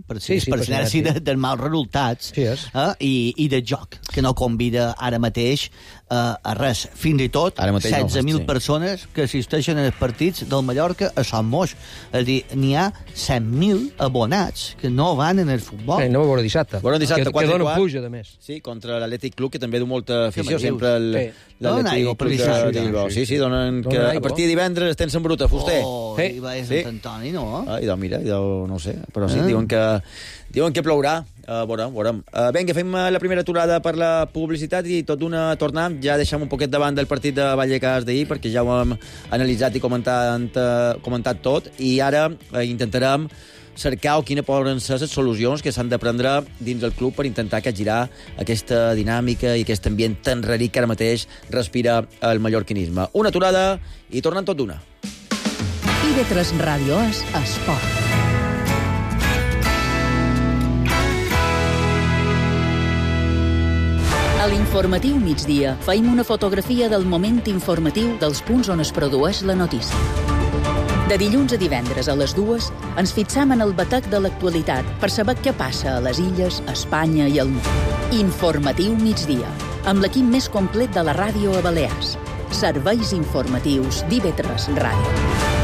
Per sinerci del mal resultats i de joc, que no convida ara mateix a res. Fins i tot 16.000 persones que assisteixen als partits del Mallorca a Sant Moix. És a dir, n'hi ha 100.000 abonats que no van en el futbol. No ho veurà dissabte. Que donen pluja, de més. Sí, contra l'Atlètic Club, que també du molta afició. Sempre l'Atlètic Club. Sí, donen que a partir de divendres estem en bruta, fuster. I va a Sant Antoni, no? Mira, no sé, però sí, diuen que plourà. Veurem. Vinga, fem la primera aturada per la publicitat i tot d'una tornem. Ja deixem un poquet davant del partit de Vallecas d'ahir, perquè ja ho hem analitzat i comentat tot, i ara intentarem cercar o quines poden ser les solucions que s'han de prendre dins del club per intentar capgirar aquesta dinàmica i aquest ambient tan raric que ara mateix respira el mallorquinisme. Una aturada i tornen tot d'una. IB3 Ràdio és esport. A l'informatiu migdia feim una fotografia del moment informatiu dels punts on es produeix la notícia. De dilluns a divendres a les 2 ens fixam en el batec de l'actualitat per saber què passa a les illes, a Espanya i al món. Informatiu migdia, amb l'equip més complet de la ràdio a Balears. Serveis informatius d'IB3 Ràdio.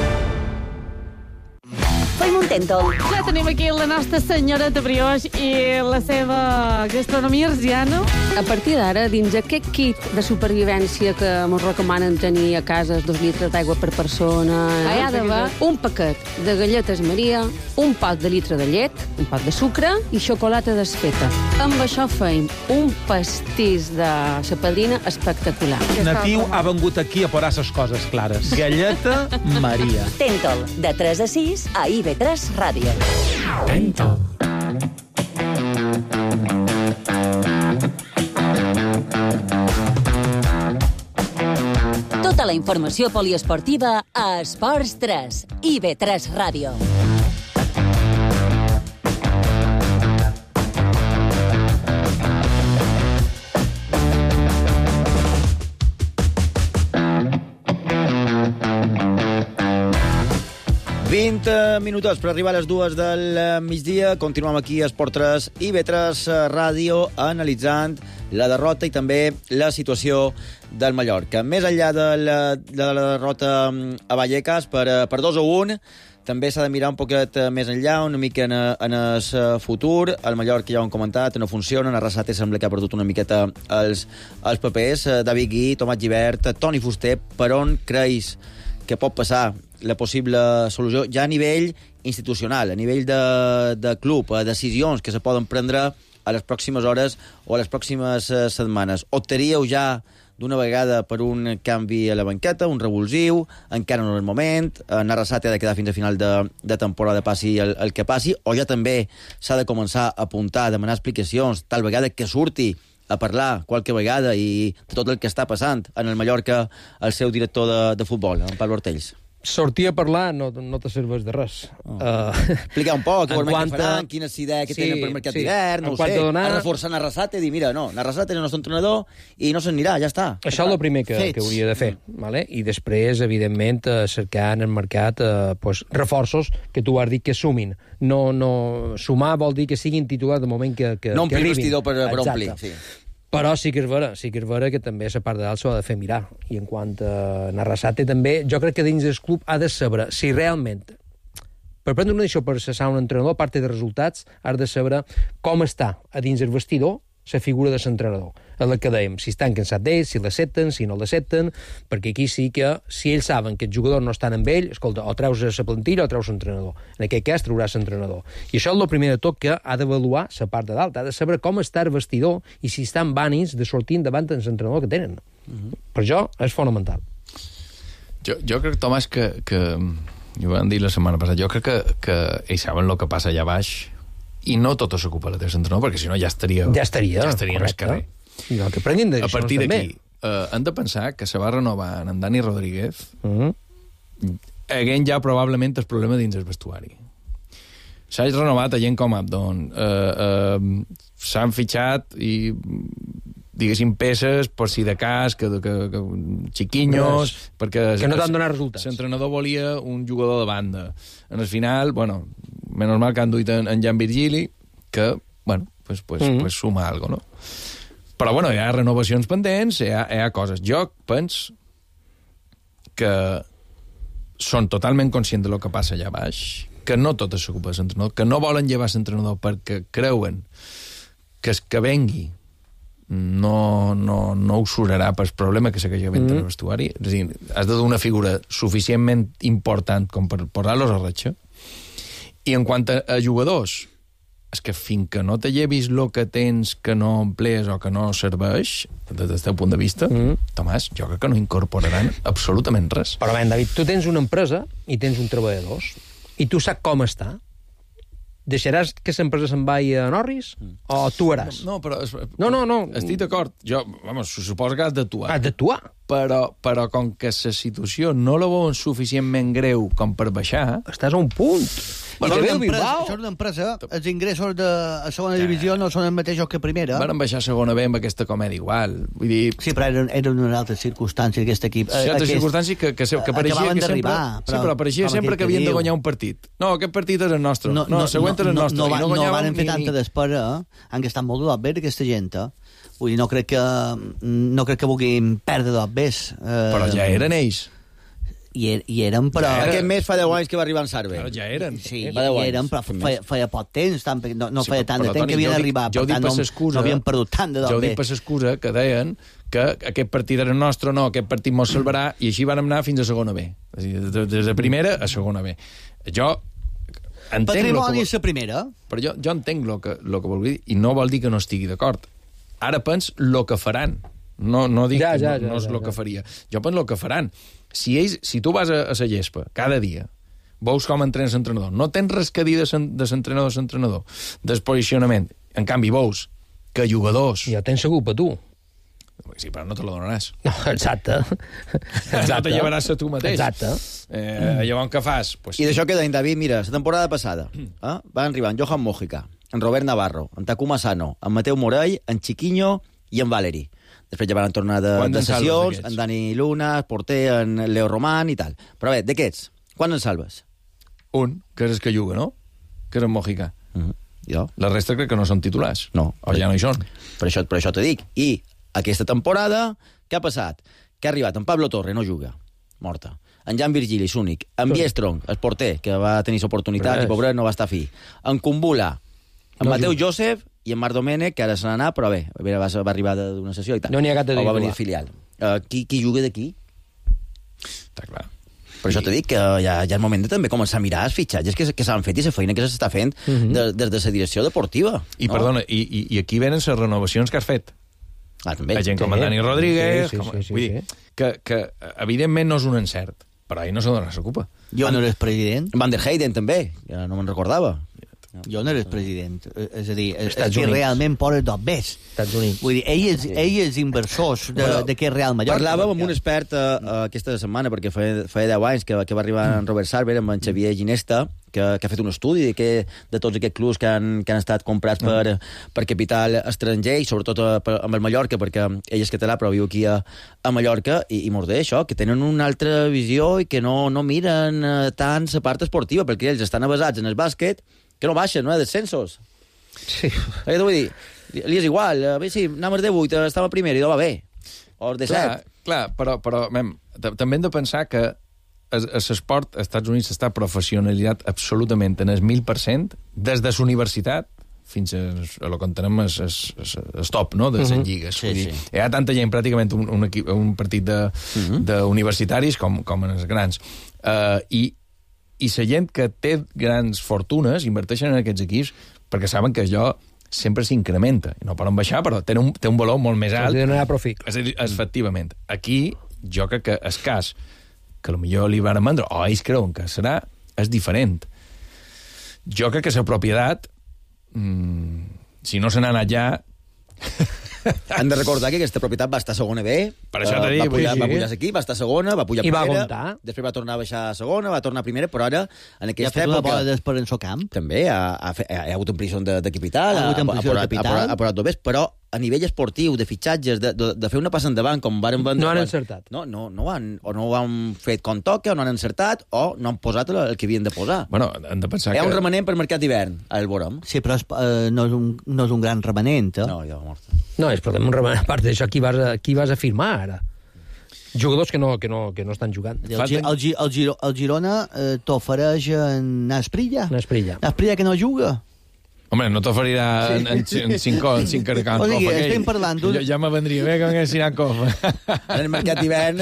Tèntol. Ja tenim aquí la nostra senyoreta Brioix i la seva gastronomia arsiana. A partir d'ara, dins aquest kit de supervivència que ens recomanen tenir a casa 2 litres d'aigua per persona, hi ha d'haver un paquet de galletes Maria, un pot de litre de llet, un pot de sucre i xocolata desfeta. Amb això feim un pastís de sa padrina espectacular. Natiu ha vengut aquí a posar ses coses clares. Galleta Maria. Tèntol, de 3 a 6 a IB3 Ràdio. Tèntol. Tota la informació poliesportiva a Esports 3, IB3 Ràdio. Minuts per arribar a les 2 del migdia. Continuem aquí a Esport 3 i IB3 Ràdio analitzant la derrota i també la situació del Mallorca. Més enllà de la derrota a Vallecas per 2-1, també s'ha de mirar un poquet més enllà, una mica en el futur. El Mallorca, ja ho hem comentat, no funciona. Arrasate sembla que ha perdut una miqueta els papers. David Gui, Tomàs Gibert, Toni Fuster, per on creus que pot passar la possible solució ja a nivell institucional, a nivell de club, a decisions que se poden prendre a les pròximes hores o a les pròximes setmanes? Optaríeu ja d'una vegada per un canvi a la banqueta, un revulsiu, encara no és el moment, Arrasate ha de quedar fins a final de temporada, passi el que passi, o ja també s'ha de començar a apuntar, a demanar explicacions, tal vegada que surti a parlar qualque vegada i de tot el que està passant en el Mallorca el seu director de futbol, en Pablo Ortells. Sortir a parlar no te serveix de res. Explicar un poc què faran, quines idees que tenen per mercat d'hivern, no ho sé, a reforçar Arrasate i dir, mira, no, Arrasate és el nostre entrenador i no se'n anirà, ja està. Això és el primer que hauria de fer. Vale? I després, evidentment, cercar en el mercat reforços que tu has dit que sumin. No, sumar vol dir que siguin titulars de moment que arribin. No omplir vestidor per omplir, sí. Però sí que és vera que també la part de dalt s'ho ha de fer mirar. I en quant a Arrasate també, jo crec que dins del club ha de saber si realment, per prendre una decisió per cessar un entrenador, a part de resultats, has de saber com està a dins el vestidor la figura de l'entrenador. És el que dèiem, si estan cansats d'ells, si l'accepten, si no l'accepten, perquè aquí sí que, si ells saben que els jugadors no estan amb ell, escolta, o treus la plantilla o treus l'entrenador. En aquest cas, trauràs l'entrenador. I això és el primer de tot que ha d'avaluar la part de dalt, ha de saber com està el vestidor i si estan vanis de sortir davant de l'entrenador que tenen. Per això és fonamental. Jo crec, Tomàs, que ho vam dir la setmana passada, jo crec que ells saben el que passa allà baix i no tot s'ocupa la teva entrenador, perquè si no ja estaria en el carrer. No, que prenguin a partir d'aquí, hem de pensar que se va renovar en Dani Rodríguez haguent ja probablement el problema dins el vestuari. S'ha renovat a gent com Abdon, s'han fitxat i diguéssim, peces per si de cas, que xiquinyos, perquè que no t'han donat resultats. L'entrenador volia un jugador de banda. En el final, bueno, menys mal que han duit en Jan Virgili, que, bueno, pues suma algo, no? Però, bueno, hi ha renovacions pendents, hi ha coses. Jo penso que són totalment conscients de lo que passa allà baix, que no tot s'ocupa de l'entrenador, que no volen llevar l'entrenador perquè creuen que el que vengui no usurarà pel problema que segueix havent en el vestuari. És a dir, has de dur una figura suficientment important com per posar-los a ratxa. I en quant a jugadors, és que fins que no te llevis el que tens que no emplees o que no serveix, des del teu punt de vista, Tomàs, jo crec que no incorporaran absolutament res. Però, ben, David, tu tens una empresa i tens un treballadors, i tu saps com està, Deixaràs que l'empresa se'n vagi a Norris? O actuaràs? No, però... No. Estic d'acord. Jo, suposo que has d'actuar. Has d'actuar? Però com que la situació no la veuen suficientment greu com per baixar... Estàs a un punt. Això és una empresa. Els ingressos de segona divisió no són els mateixos que primera. Van baixar a segona B amb aquesta comèdia igual. Vull dir... Sí, però eren unes altres circumstàncies aquest equip. Certes circumstàncies que pareixia que sempre... Sí, però pareixia sempre que havien de guanyar un partit. No, aquest partit és el nostre. No, el següent és el nostre. No van fer tanta d'espera. Han gastat molt de bé aquesta gent. Vull dir, no crec que vulguin perdre dos bés. Però ja eren ells. I eren, però... Aquest mes fa 10 anys que va arribar en Sarve. Però ja eren. Sí, eren, però feia poc temps, no feia tant de temps que havien d'arribar. Jo ho dic per l'excusa... No havien perdut tant de dos Jo ho dic per l'excusa que deien que aquest partit era nostre, no, aquest partit mos salvarà, i així van anar fins a segona B. És a dir, des de primera a segona B. Jo entenc... Patrimoni és la primera. Però jo entenc el que vol dir, i no vol dir que no estigui d'acord. Ara pens el que faran. No dic que no és el que faria. Jo penso el que faran. Si tu vas a la gespa cada dia, veus com entrena l'entrenador, no tens res que dir de l'entrenador, del posicionament, en canvi veus que jugadors... Ja tens segur per tu. Sí, però no te la donaràs. No, exacte. No te llevaràs a tu mateix. Exacte. Llavors, què fas? Pues... I d'això que deien, David, mira, la temporada passada van arribar en Johan Mojica, en Robert Navarro, en Takuma Sano, en Mateu Morell, en Chiquiño i en Valeri. Després ja van tornar de sessions, en Dani Luna, porter, en Leo Román i tal. Però bé, d'aquests, quan en salves? Un, que és el que juga, no? Que és en Mojica. Jo? La resta crec que no són titulars. No. O ja no hi són. Per això t'ho dic. I aquesta temporada, què ha passat? Que ha arribat en Pablo Torre, no juga. Morta. En Jan Virgili, l'únic. En Biestrong, el porter, que va tenir l'oportunitat i pobret no va estar fi. En Kumbula, en Mateu Josep i en Marc Domènech, que ara se n'ha anat, però bé, va arribar d'una sessió i tal. No n'hi ha cap de o va venir filial. Qui juga d'aquí? Està clar. Per això t'he dit que ja és moment de també començar a mirar els fitxatges que s'han fet i la feina que s'està fent des de la direcció deportiva. I, perdona, i aquí venen les renovacions que has fet. També. La gent com en Dani Rodríguez... Vull dir, que evidentment no és un encert, però ahir no se dona la culpa. Jo no eres president. Van der Heyden també, ja no me'n recordava. Jo no eres president. És a dir, que realment porta dos bés. Estats Units. Vull dir, ell és inversors d'aquest Real Mallorca. Parlàvem amb un expert aquesta setmana, perquè feia 10 anys que va arribar en Robert Sarver, amb en Xavier Ginesta, que ha fet un estudi de tots aquests clubs que han estat comprats per capital estranger, i sobretot amb el Mallorca, perquè ell és català però viu aquí a Mallorca, i mos deia això, que tenen una altra visió i que no miren tant la part esportiva, perquè ells estan avasats en el bàsquet, que no baixen, no hi ha descensos. Sí. Què vull dir? Li és igual, a veure si anàvem de 8, estava primer i no va bé. O de 7. Clar, però també hem de pensar que l'esport als Estats Units està professionalitzat absolutament en el 1000%, des de la universitat fins a lo que entenem el top, no?, de les lligues. Sí. Hi ha tanta gent, pràcticament un partit d'universitaris com en els grans. I la gent que té grans fortunes inverteixen en aquests equips perquè saben que allò sempre s'incrementa. No poden baixar, però té un valor molt més alt. Efectivament. Aquí, jo crec que el cas que potser li van vendre, o ells creuen que serà, és diferent. Jo crec que la propietat, si no se n'ha anat ja... Han de recordar que aquesta propietat va estar a segona B, per això t'he dit, va pujar aquí, va estar a segona, va pujar a primera, va aguantar. Després va tornar a baixar a segona, va tornar a primera, però ara, en aquesta època... Ja ha fet una bola d'espera en el camp. També hi ha hagut un prison de capital, ha posat dobers, però a nivell esportiu, de fitxatges, de fer una passa endavant, com varen vendre... No han encertat. No ho han fet com toca, o no han encertat, o no han posat el que havien de posar. Bueno, hem de pensar hi ha un remanent per mercat d'hivern, al Borem. Sí, però no és un gran remanent, eh? No, ja va mort. No, és un remanent. A part d'això, qui vas a firmar, ara? Jugadors que no estan jugant. El Girona t'ofereix en Asprilla. Asprilla que no juga. Home, no t'oferirà en 5 caracans. O sigui, estem parlant d'un... Ja me vendria bé que m'haguessin anat cofa. En el mercat d'hivern...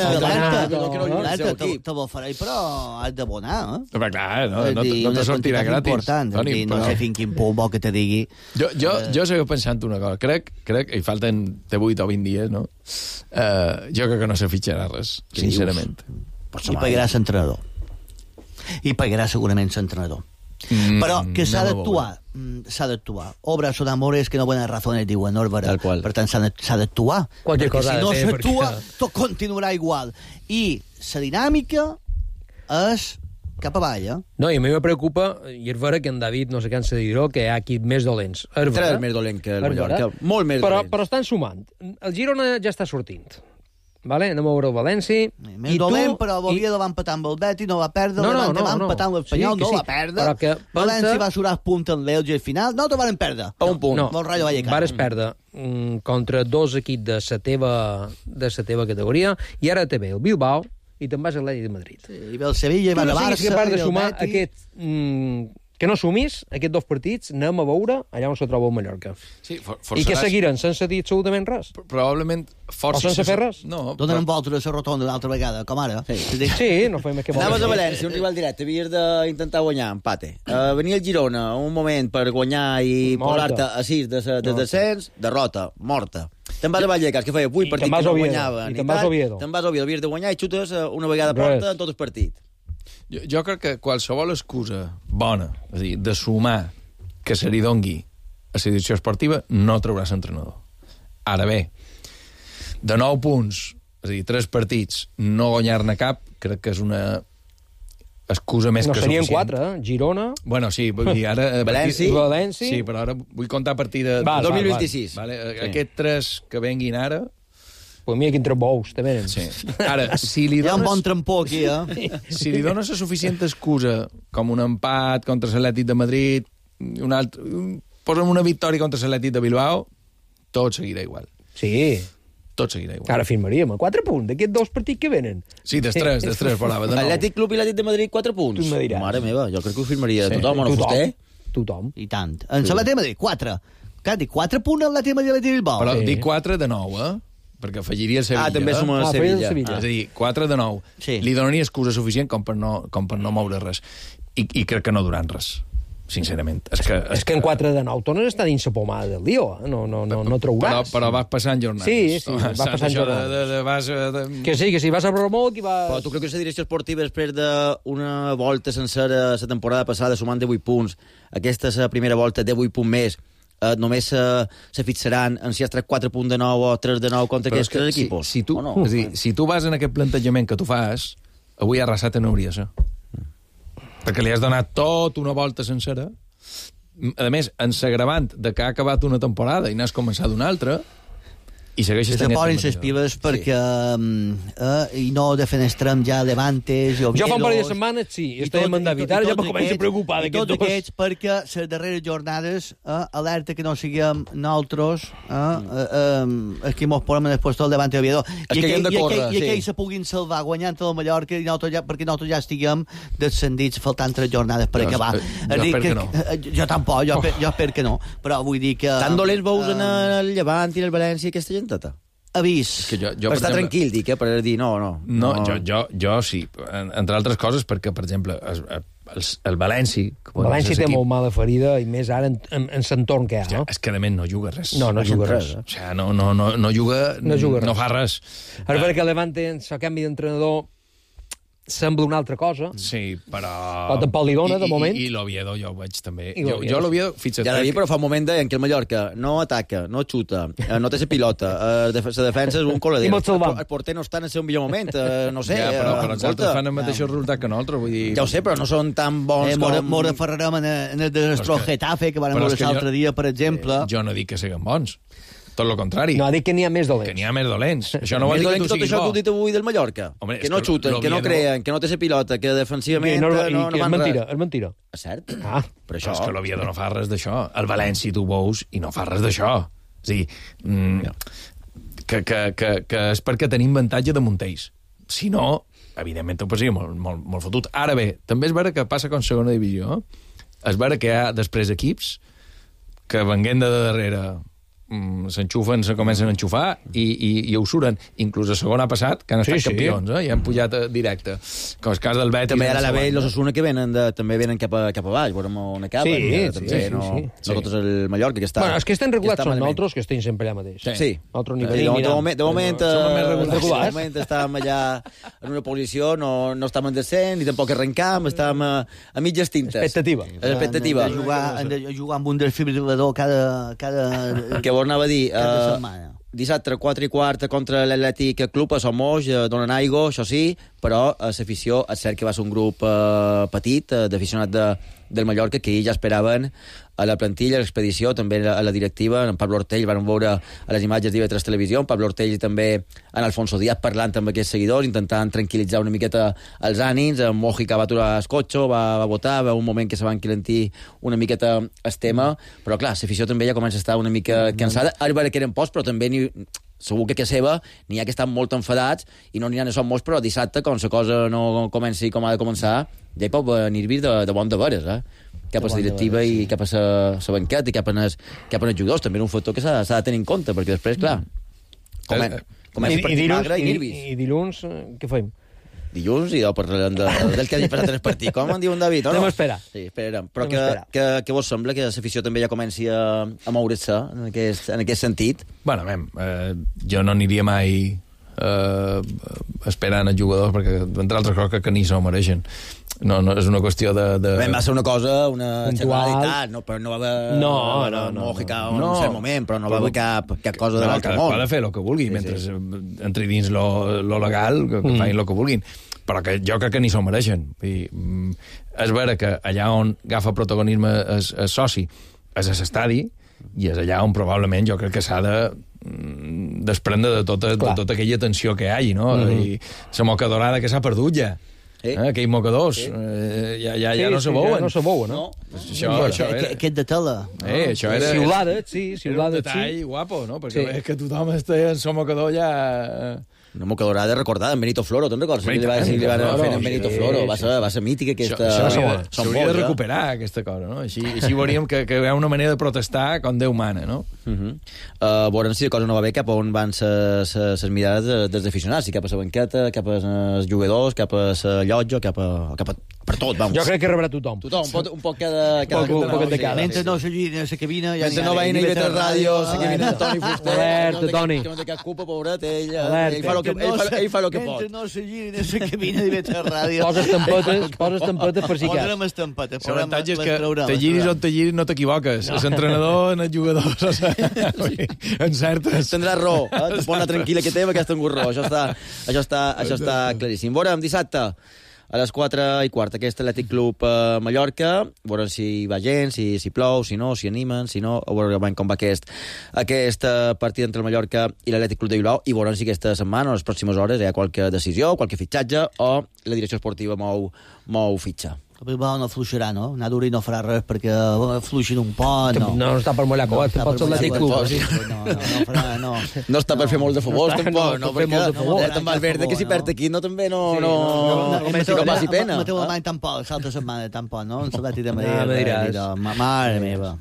Te l'ofereix, però has d'abonar, eh? Però clar, no te sortirà gratis. No sé fins quin punt vol que te digui... Jo segueixo pensant una cosa. Crec, i falten 8 o 20 dies, no? Jo crec que no se fitxarà res, sincerament. I pagarà l'entrenador. I pagarà segurament l'entrenador. Però que s'ha d'actuar. Obras son amores que no buenas razones, diuen, no és vera. Tal qual. Per tant, s'ha d'actuar. Qualque cosa si no ha de fer, s'actua, perquè... tot continuarà igual. I la dinàmica és cap avall, No, i a mi me preocupa, i és vera que en David no se cansa de dir-ho, que hi ha equips més dolents. Tres més dolents que el Mallorca. Molt més dolents. Però estan sumant. El Girona ja està sortint. Vale? Anem a veure el València. Més dolent, però l'Oviedo va empatar amb el Betis, no va perdre, va empatar amb l'Espanyol, no va perdre. València va surar punt en l'Elge al final, no te van perdre. A un punt. No, vares perdre contra dos equips de la teva categoria, i ara te ve el Bilbao i te'n vas a l'Atlètic de Madrid. Sí, i ve el Sevilla, i va a Barça, i el Betis. De sumar que no sumis aquests dos partits, anem a veure allà on se troba el Mallorca. Sí, I que seguiran sense dir absolutament res. Probablement o sense fer res. No, donen voltes a la rotonda una altra vegada, com ara. Sí, no fem més que anaves a València, un rival directe, havies d'intentar guanyar, empate. Venia el Girona un moment per guanyar i posar-te a 6 de descens, derrota, morta. Te'n vas a Vallecas, que feia 8 partits que no guanyaven. I te'n vas a Oviedo. Te'n vas a Oviedo, havies de guanyar i xutes una vegada porta en tot el partit. Jo crec que qualsevol excusa bona, és a dir, de sumar que se li dongui a la direcció esportiva, no traurà l'entrenador. Ara bé, de 9 punts, és a dir, 3 partits, no guanyar-ne cap, crec que és una excusa més que suficient. No, serien 4, Girona... Bueno, sí, vull dir, ara... València... Sí, però ara vull comptar a partir de 2026. Vale? Aquests 3 que venguin ara... Pues mira quin trembous, te venen. Sí. Ara, si li dones... Hi ha un bon trempó aquí, Si li dones la suficient excusa, com un empat contra l'Atlètic de Madrid, posa'm una victòria contra l'Atlètic de Bilbao, tot seguirà igual. Sí. Tot seguirà igual. Ara firmaríem a 4 punts d'aquests 2 partits que venen. Sí, dels 3 parlava. De Atlètic Club i l'Atlètic de Madrid, 4 punts. Tu me diràs. Mare meva, jo crec que ho firmaria tothom, o no Fuster? Tothom. I tant. En l'Atlètic de Madrid, 4. Clar, dic 4 punts en l'Atlètic de Madrid i Bilbao. Però dic 4 de 9, perquè afegiria el Sevilla. També suma el Sevilla. És a dir, 4 de 9. Sí. Li donaria excusa suficient com per no moure res. I crec que no duran res, sincerament. És que en 4 de 9 tornes a estar dins la pomada del lío, no trauràs. Però vas passant jornades. Sí, vas passant jornades. Que si vas a Bromó, qui va... Però tu creus que la direcció esportiva, després d'una volta sencera la temporada passada, sumant de 8 punts, aquesta és la primera volta de 8 punts més, només se fixaran en si has tret 4 punts de 9 o 3 de 9 contra aquests 3 equipos? Si tu, no? És a dir, si tu vas en aquest plantejament que tu fas, avui arrasat no hauria de ser. Perquè li has donat tota una volta sencera. A més, en s'agravant de que ha acabat una temporada i n'has començat una altra, i segueixes tenint... Se posen les piles perquè i no defenestrem ja Levantes i Oviedos... Jo fa un parell de setmanes, sí, estem amb David, ara ja me començo a preocupar d'aquests dos. I tots aquests perquè les darreres jornades alerta que no siguem nosaltres els que mos posem en el puesto del Levante i Oviedo. I aquells se puguin salvar guanyant el Mallorca perquè nosaltres ja estiguem descendits faltant 3 jornades per acabar. Jo espero que no. Jo tampoc, jo espero que no. Però vull dir que... Tan dolents veus en el Llevant i el València aquesta gent? Avís. Per estar tranquil, dic, per dir no. Jo sí, entre altres coses, perquè, per exemple, el València... El València té molt mala ferida, i més ara en l'entorn que hi ha, no? És que, a més, no juga res. No juga res. O sigui, no juga res. No fa res. Ara, perquè el Levante, en el canvi d'entrenador, sembla una altra cosa. Sí, però tampoc li dona, de moment. I l'Oviedo jo ho veig també. Jo l'Oviedo, fixa't... Ja però fa un moment en què el Mallorca no ataca, no xuta, no té la pilota, la defensa és un col·lador. El porter no està en el seu millor moment, no sé. Ja, però els altres fan el mateix resultat que nosaltres, vull dir... Ja ho sé, però no són tan bons com... Mora Ferrarem en el desastrós Getafe, que van veure l'altre dia, per exemple. Jo no dic que siguin bons. Tot el contrari. No, dic que n'hi ha més dolents. Que n'hi ha més dolents. Això no vol dir que tu siguis bo. Tot això que heu dit avui del Mallorca. Home, que no xuten, que no creen, que no té la pilota, que defensivament no van res. És mentira. És cert? Però això... És que l'Oviedo no fa res d'això. El València tu veus i no fa res d'això. És a dir, que és perquè tenim avantatge de Montells. Si no, evidentment ho passaria molt fotut. Ara bé, també és vera que passa com segona divisió. És vera que hi ha després equips que venguent de darrere s'enxufen, se comencen a enxufar i ho suren. Inclús a segona ha passat, que han estat campions, i han pujat directe. Com el cas del Betis. També ara la B i l'Osasuna que també venen cap a baix, veurem on acaben. No tot és el Mallorca, que està... Bueno, els que estan regulats són nosaltres, que estem sempre allà mateix. Sí. De moment estàvem allà en una posició, no estàvem en descens, ni tampoc arrencam, estàvem a mitges tintes. Expectativa. Han de jugar amb un desfibrilador cada... Què vol anava a dir? Dissabte, 4:15 contra l'Atlètic Club a Somos, donen aigua, això sí, però l'afició, és cert que va ser un grup petit, d'aficionats del Mallorca, que ja esperaven a la plantilla, a l'expedició, també a la directiva, en Pablo Ortell, van veure a les imatges d'IV3 Televisió, en Pablo Ortell i també en Alfonso Díaz parlant amb aquests seguidors, intentant tranquil·litzar una miqueta els ànims. En Mojica va aturar el cotxe, va votar, va un moment que se va enquilentir una miqueta el tema, però clar, l'afició també ja comença a estar una mica cansada. Ara veure que eren pocs, però també segur que a casa seva n'hi ha que estan molt enfadats i no n'hi ha són molts, però dissabte, com la cosa no comenci com ha de començar, ja hi pot venir de bon de veres, cap a la directiva i cap a la banqueta i cap a els jugadors. També és un factor que s'ha de tenir en compte, perquè després, clar, comença el partit magre i nervis. I dilluns, què fem? Dilluns i parlarem del que hagi passat en el partit. Com en diu en David? Anem a esperar. Sí, esperarem. Però què vos sembla que l'afició també ja comenci a moure's en aquest sentit? Bueno, jo no aniria mai esperant els jugadors, perquè, entre altres coses, que ni s'ho mereixen. No, és una qüestió de... Va ser una cosa, una generalitat, però no va haver... Mojica en un cert moment, però no va haver cap cosa de l'altre món. Ha de fer el que vulgui, mentre entri dins lo legal, que facin el que vulguin. Però que jo crec que ni s'ho mereixen. És vera que allà on agafa protagonisme el soci és a l'estadi, i és allà on probablement jo crec que s'ha de desprendre de tota aquella tensió que hi hagi, no? I la moca dorada que s'ha perdut ja. Aquells mocadors ja no se veuen. No se veuen, no? Això era... Aquest de tela. Això era... Ciulades, sí. Era un detall guapo, no? Perquè és que tothom està en el mocador ja... Una mocadorada recordada en Benito Floro, te'n recordes? Li van fer en Benito Floro. Va ser mítica aquesta... S'hauria de recuperar aquesta cosa, no? Així veuríem que hi ha una manera de protestar com Déu mana, no? Veurem si la cosa no va bé cap a on van les mirades dels aficionats, si cap a la banqueta, cap als jugadors, cap a la llotja, cap a... per tot, vamos. Jo crec que rebrà tothom. Un poc cada... Un poc de cada. Mentre no s'allí a la cabina... Mentre no veien a IB3 Ràdio, la cabina de Toni Fuster... Alerta, Toni. Que no té cap culpa, pobret, ell fa el que pot. Mentre no s'allí a la cabina d'IB3 Ràdio... Poses tampetes per si cas. Posarem estampetes. L'avantatge és que te giris on te giris no t'equivoques. L'entrenador, en els jugadors... En certes... Tindràs raó. Te pot anar tranquil·la que té amb aquest angurró. Això està claríssim. Veurem dissabte a les 4:15, aquest Atlètic Club Mallorca, veurem si hi va gent, si plou, si no, si animen, si no, veurem com va aquest partit entre el Mallorca i l'Atlètic Club de Bilbao, i veurem si aquesta setmana o les pròximes hores hi ha qualque decisió, qualque fitxatge, o la direcció esportiva mou fitxa. El Bilbao no fluixarà, no? Naduri no farà res perquè fluixin un pot, no. No està per mollar coet, pot ser l'Atlètic Club. No. No està per fer molt de futbol, tampoc. No, perquè te'n vas verd que si perd aquí no passi pena. Mateu Alemany tampoc, l'altra setmana tampoc, no? En l'Atlètic de Madrid. Mare meva.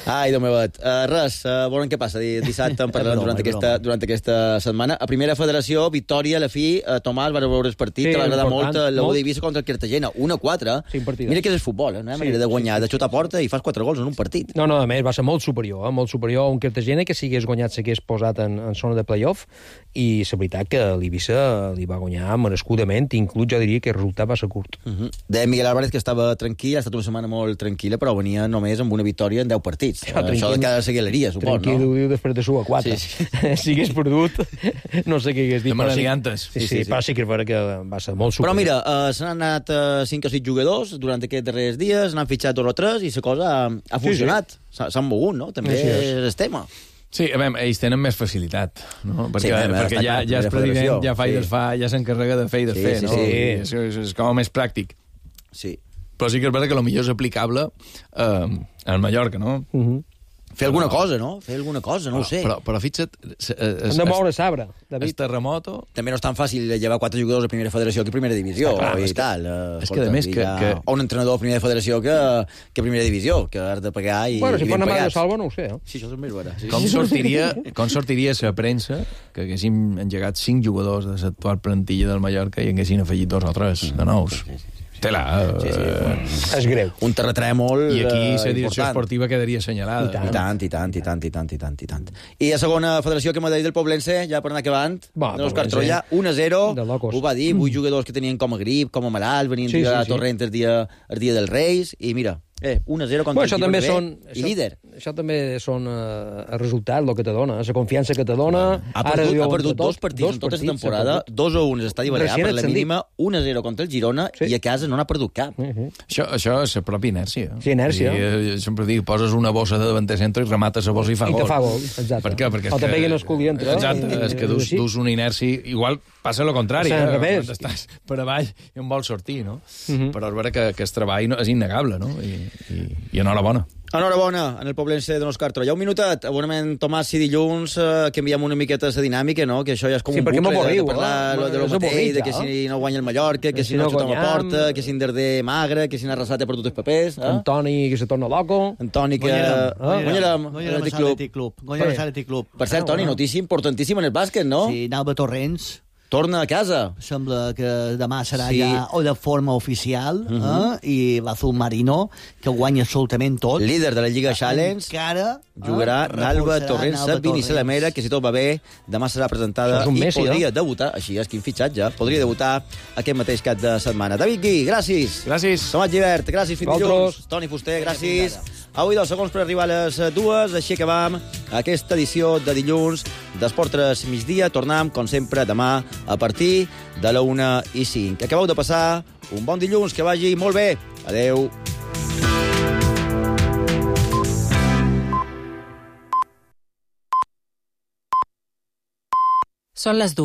Ai, Déu meu, res, veurem què passa dissabte, en parlarem durant aquesta setmana. A primera federació, victòria, a la fi, Tomàs va veure el partit, que va agradar molt l'U d'Eivissa contra el Cartagena, 1-4. Mira que és el futbol, no? Manera de guanyar, de xutar a porta i fas 4 gols en un partit. No, a més, va ser molt superior a un Cartagena que si hagués guanyat s'hagués posat en zona de play-off, i la veritat que l'Eivissa li va guanyar merescudament, inclús jo diria que el resultat va ser curt. Deia Miguel Álvarez que estava tranquil, ha estat una setmana molt tranquil·la, però venia només amb una victòria en 10 partits. Això de cada seguileria, suposo, no? Tranquil, ho diu després de suar 4. Si hagués perdut, no sé què hagués dit. Sí, però sí que és vera que va ser molt superior. Però mira, s'han anat 5 o 6 jugadors durant aquests darrers dies, n'han fitxat 2 o 3 i la cosa ha funcionat. S'han mogut, no? També és el tema. Sí, a veure, ells tenen més facilitat, no? Perquè ja és president, ja fa i desfà, ja s'encarrega de fer i desfer, no? És com més pràctic. Sí. Però sí que és veritat que potser és aplicable al Mallorca, no? Fer alguna cosa, no? Fer alguna cosa, no ho sé. Però fixa't... Hem de moure sabre, David. El terremoto... També no és tan fàcil llevar 4 jugadors a primera federació que a primera divisió. I tal. És que, a més, o un entrenador a primera federació que a primera divisió, que has de pagar i bueno, si ben fan una pagats. de salva, no ho sé. Sí, això és més vera. Sí. Com sortiria la premsa que haguéssim engegat 5 jugadors de l'actual plantilla del Mallorca i haguessin afegit 2 o 3 de nous? Tela. És greu. Un terratrèmol I aquí la direcció important. esportiva quedaria assenyalada. I tant. I a segona federació que m'ha dit del Poblense, ja per anar acabant, de l'Òscar Troia, 1-0, ho va dir, 8 jugadors que tenien com a grip, com a malalt, venien a Torrent el dia dels Reis, i mira, 1-0 contra el Girona B, i líder. Això també són el resultat, el que te dona, la confiança que te dona. Ha perdut 2 partits en tota la temporada, 2-1 a l'estadi Balear, per la mínima, 1-0 contra el Girona, i a casa no n'ha perdut cap. Això és la pròpia inèrcia. Sí, inèrcia. Jo sempre dic, poses una bossa de davanter centre i remates la bossa i fa gol. I te fa gol, exacte. Per què? Perquè o també que no es cogui entre. Exacte, és que dus una inèrcia... Igual passa el contrari. Al revés. Quan estàs per avall i en vols sortir, no? Però és vera que el treball és innegable, no? I enhorabona. Enhorabona, en el Poblense de l'Òscar Troia. Un minutet, abonament Tomàs i dilluns, que enviem una miqueta la dinàmica, no? Que això ja és com un bucle de parlar de lo mateix, de que si no guanya el Mallorca, que si no tothom aporta, que si en Darder magre, que si en Arrasat ha perdut els papers. Antoni que se torna loco. Antoni que... Guanyarem l'Atlètic Club. Per cert, Toni, notícia importantíssima en el bàsquet, no? Sí, Nalba Torrents torna a casa. Sembla que demà serà ja o de forma oficial, i l'Azul Marino, que guanya absolutament tot. Líder de la Lliga Challenge. Encara jugarà Nalba Torrents, Sabini Salamera, que si tot va bé, demà serà presentada i podria debutar, així és, quin fitxatge, podria debutar aquest mateix cap de setmana. David Gui, gràcies. Gràcies. Tomàs Givert, gràcies, fins dilluns. Toni Fuster, gràcies. Avui 2 segons per arribar a les 2, així acabam aquesta edició de dilluns d'Esport 3 migdia. Tornem, com sempre, demà a partir de la 1:05. Acabeu de passar un bon dilluns, que vagi molt bé. Adeu. Són les 2.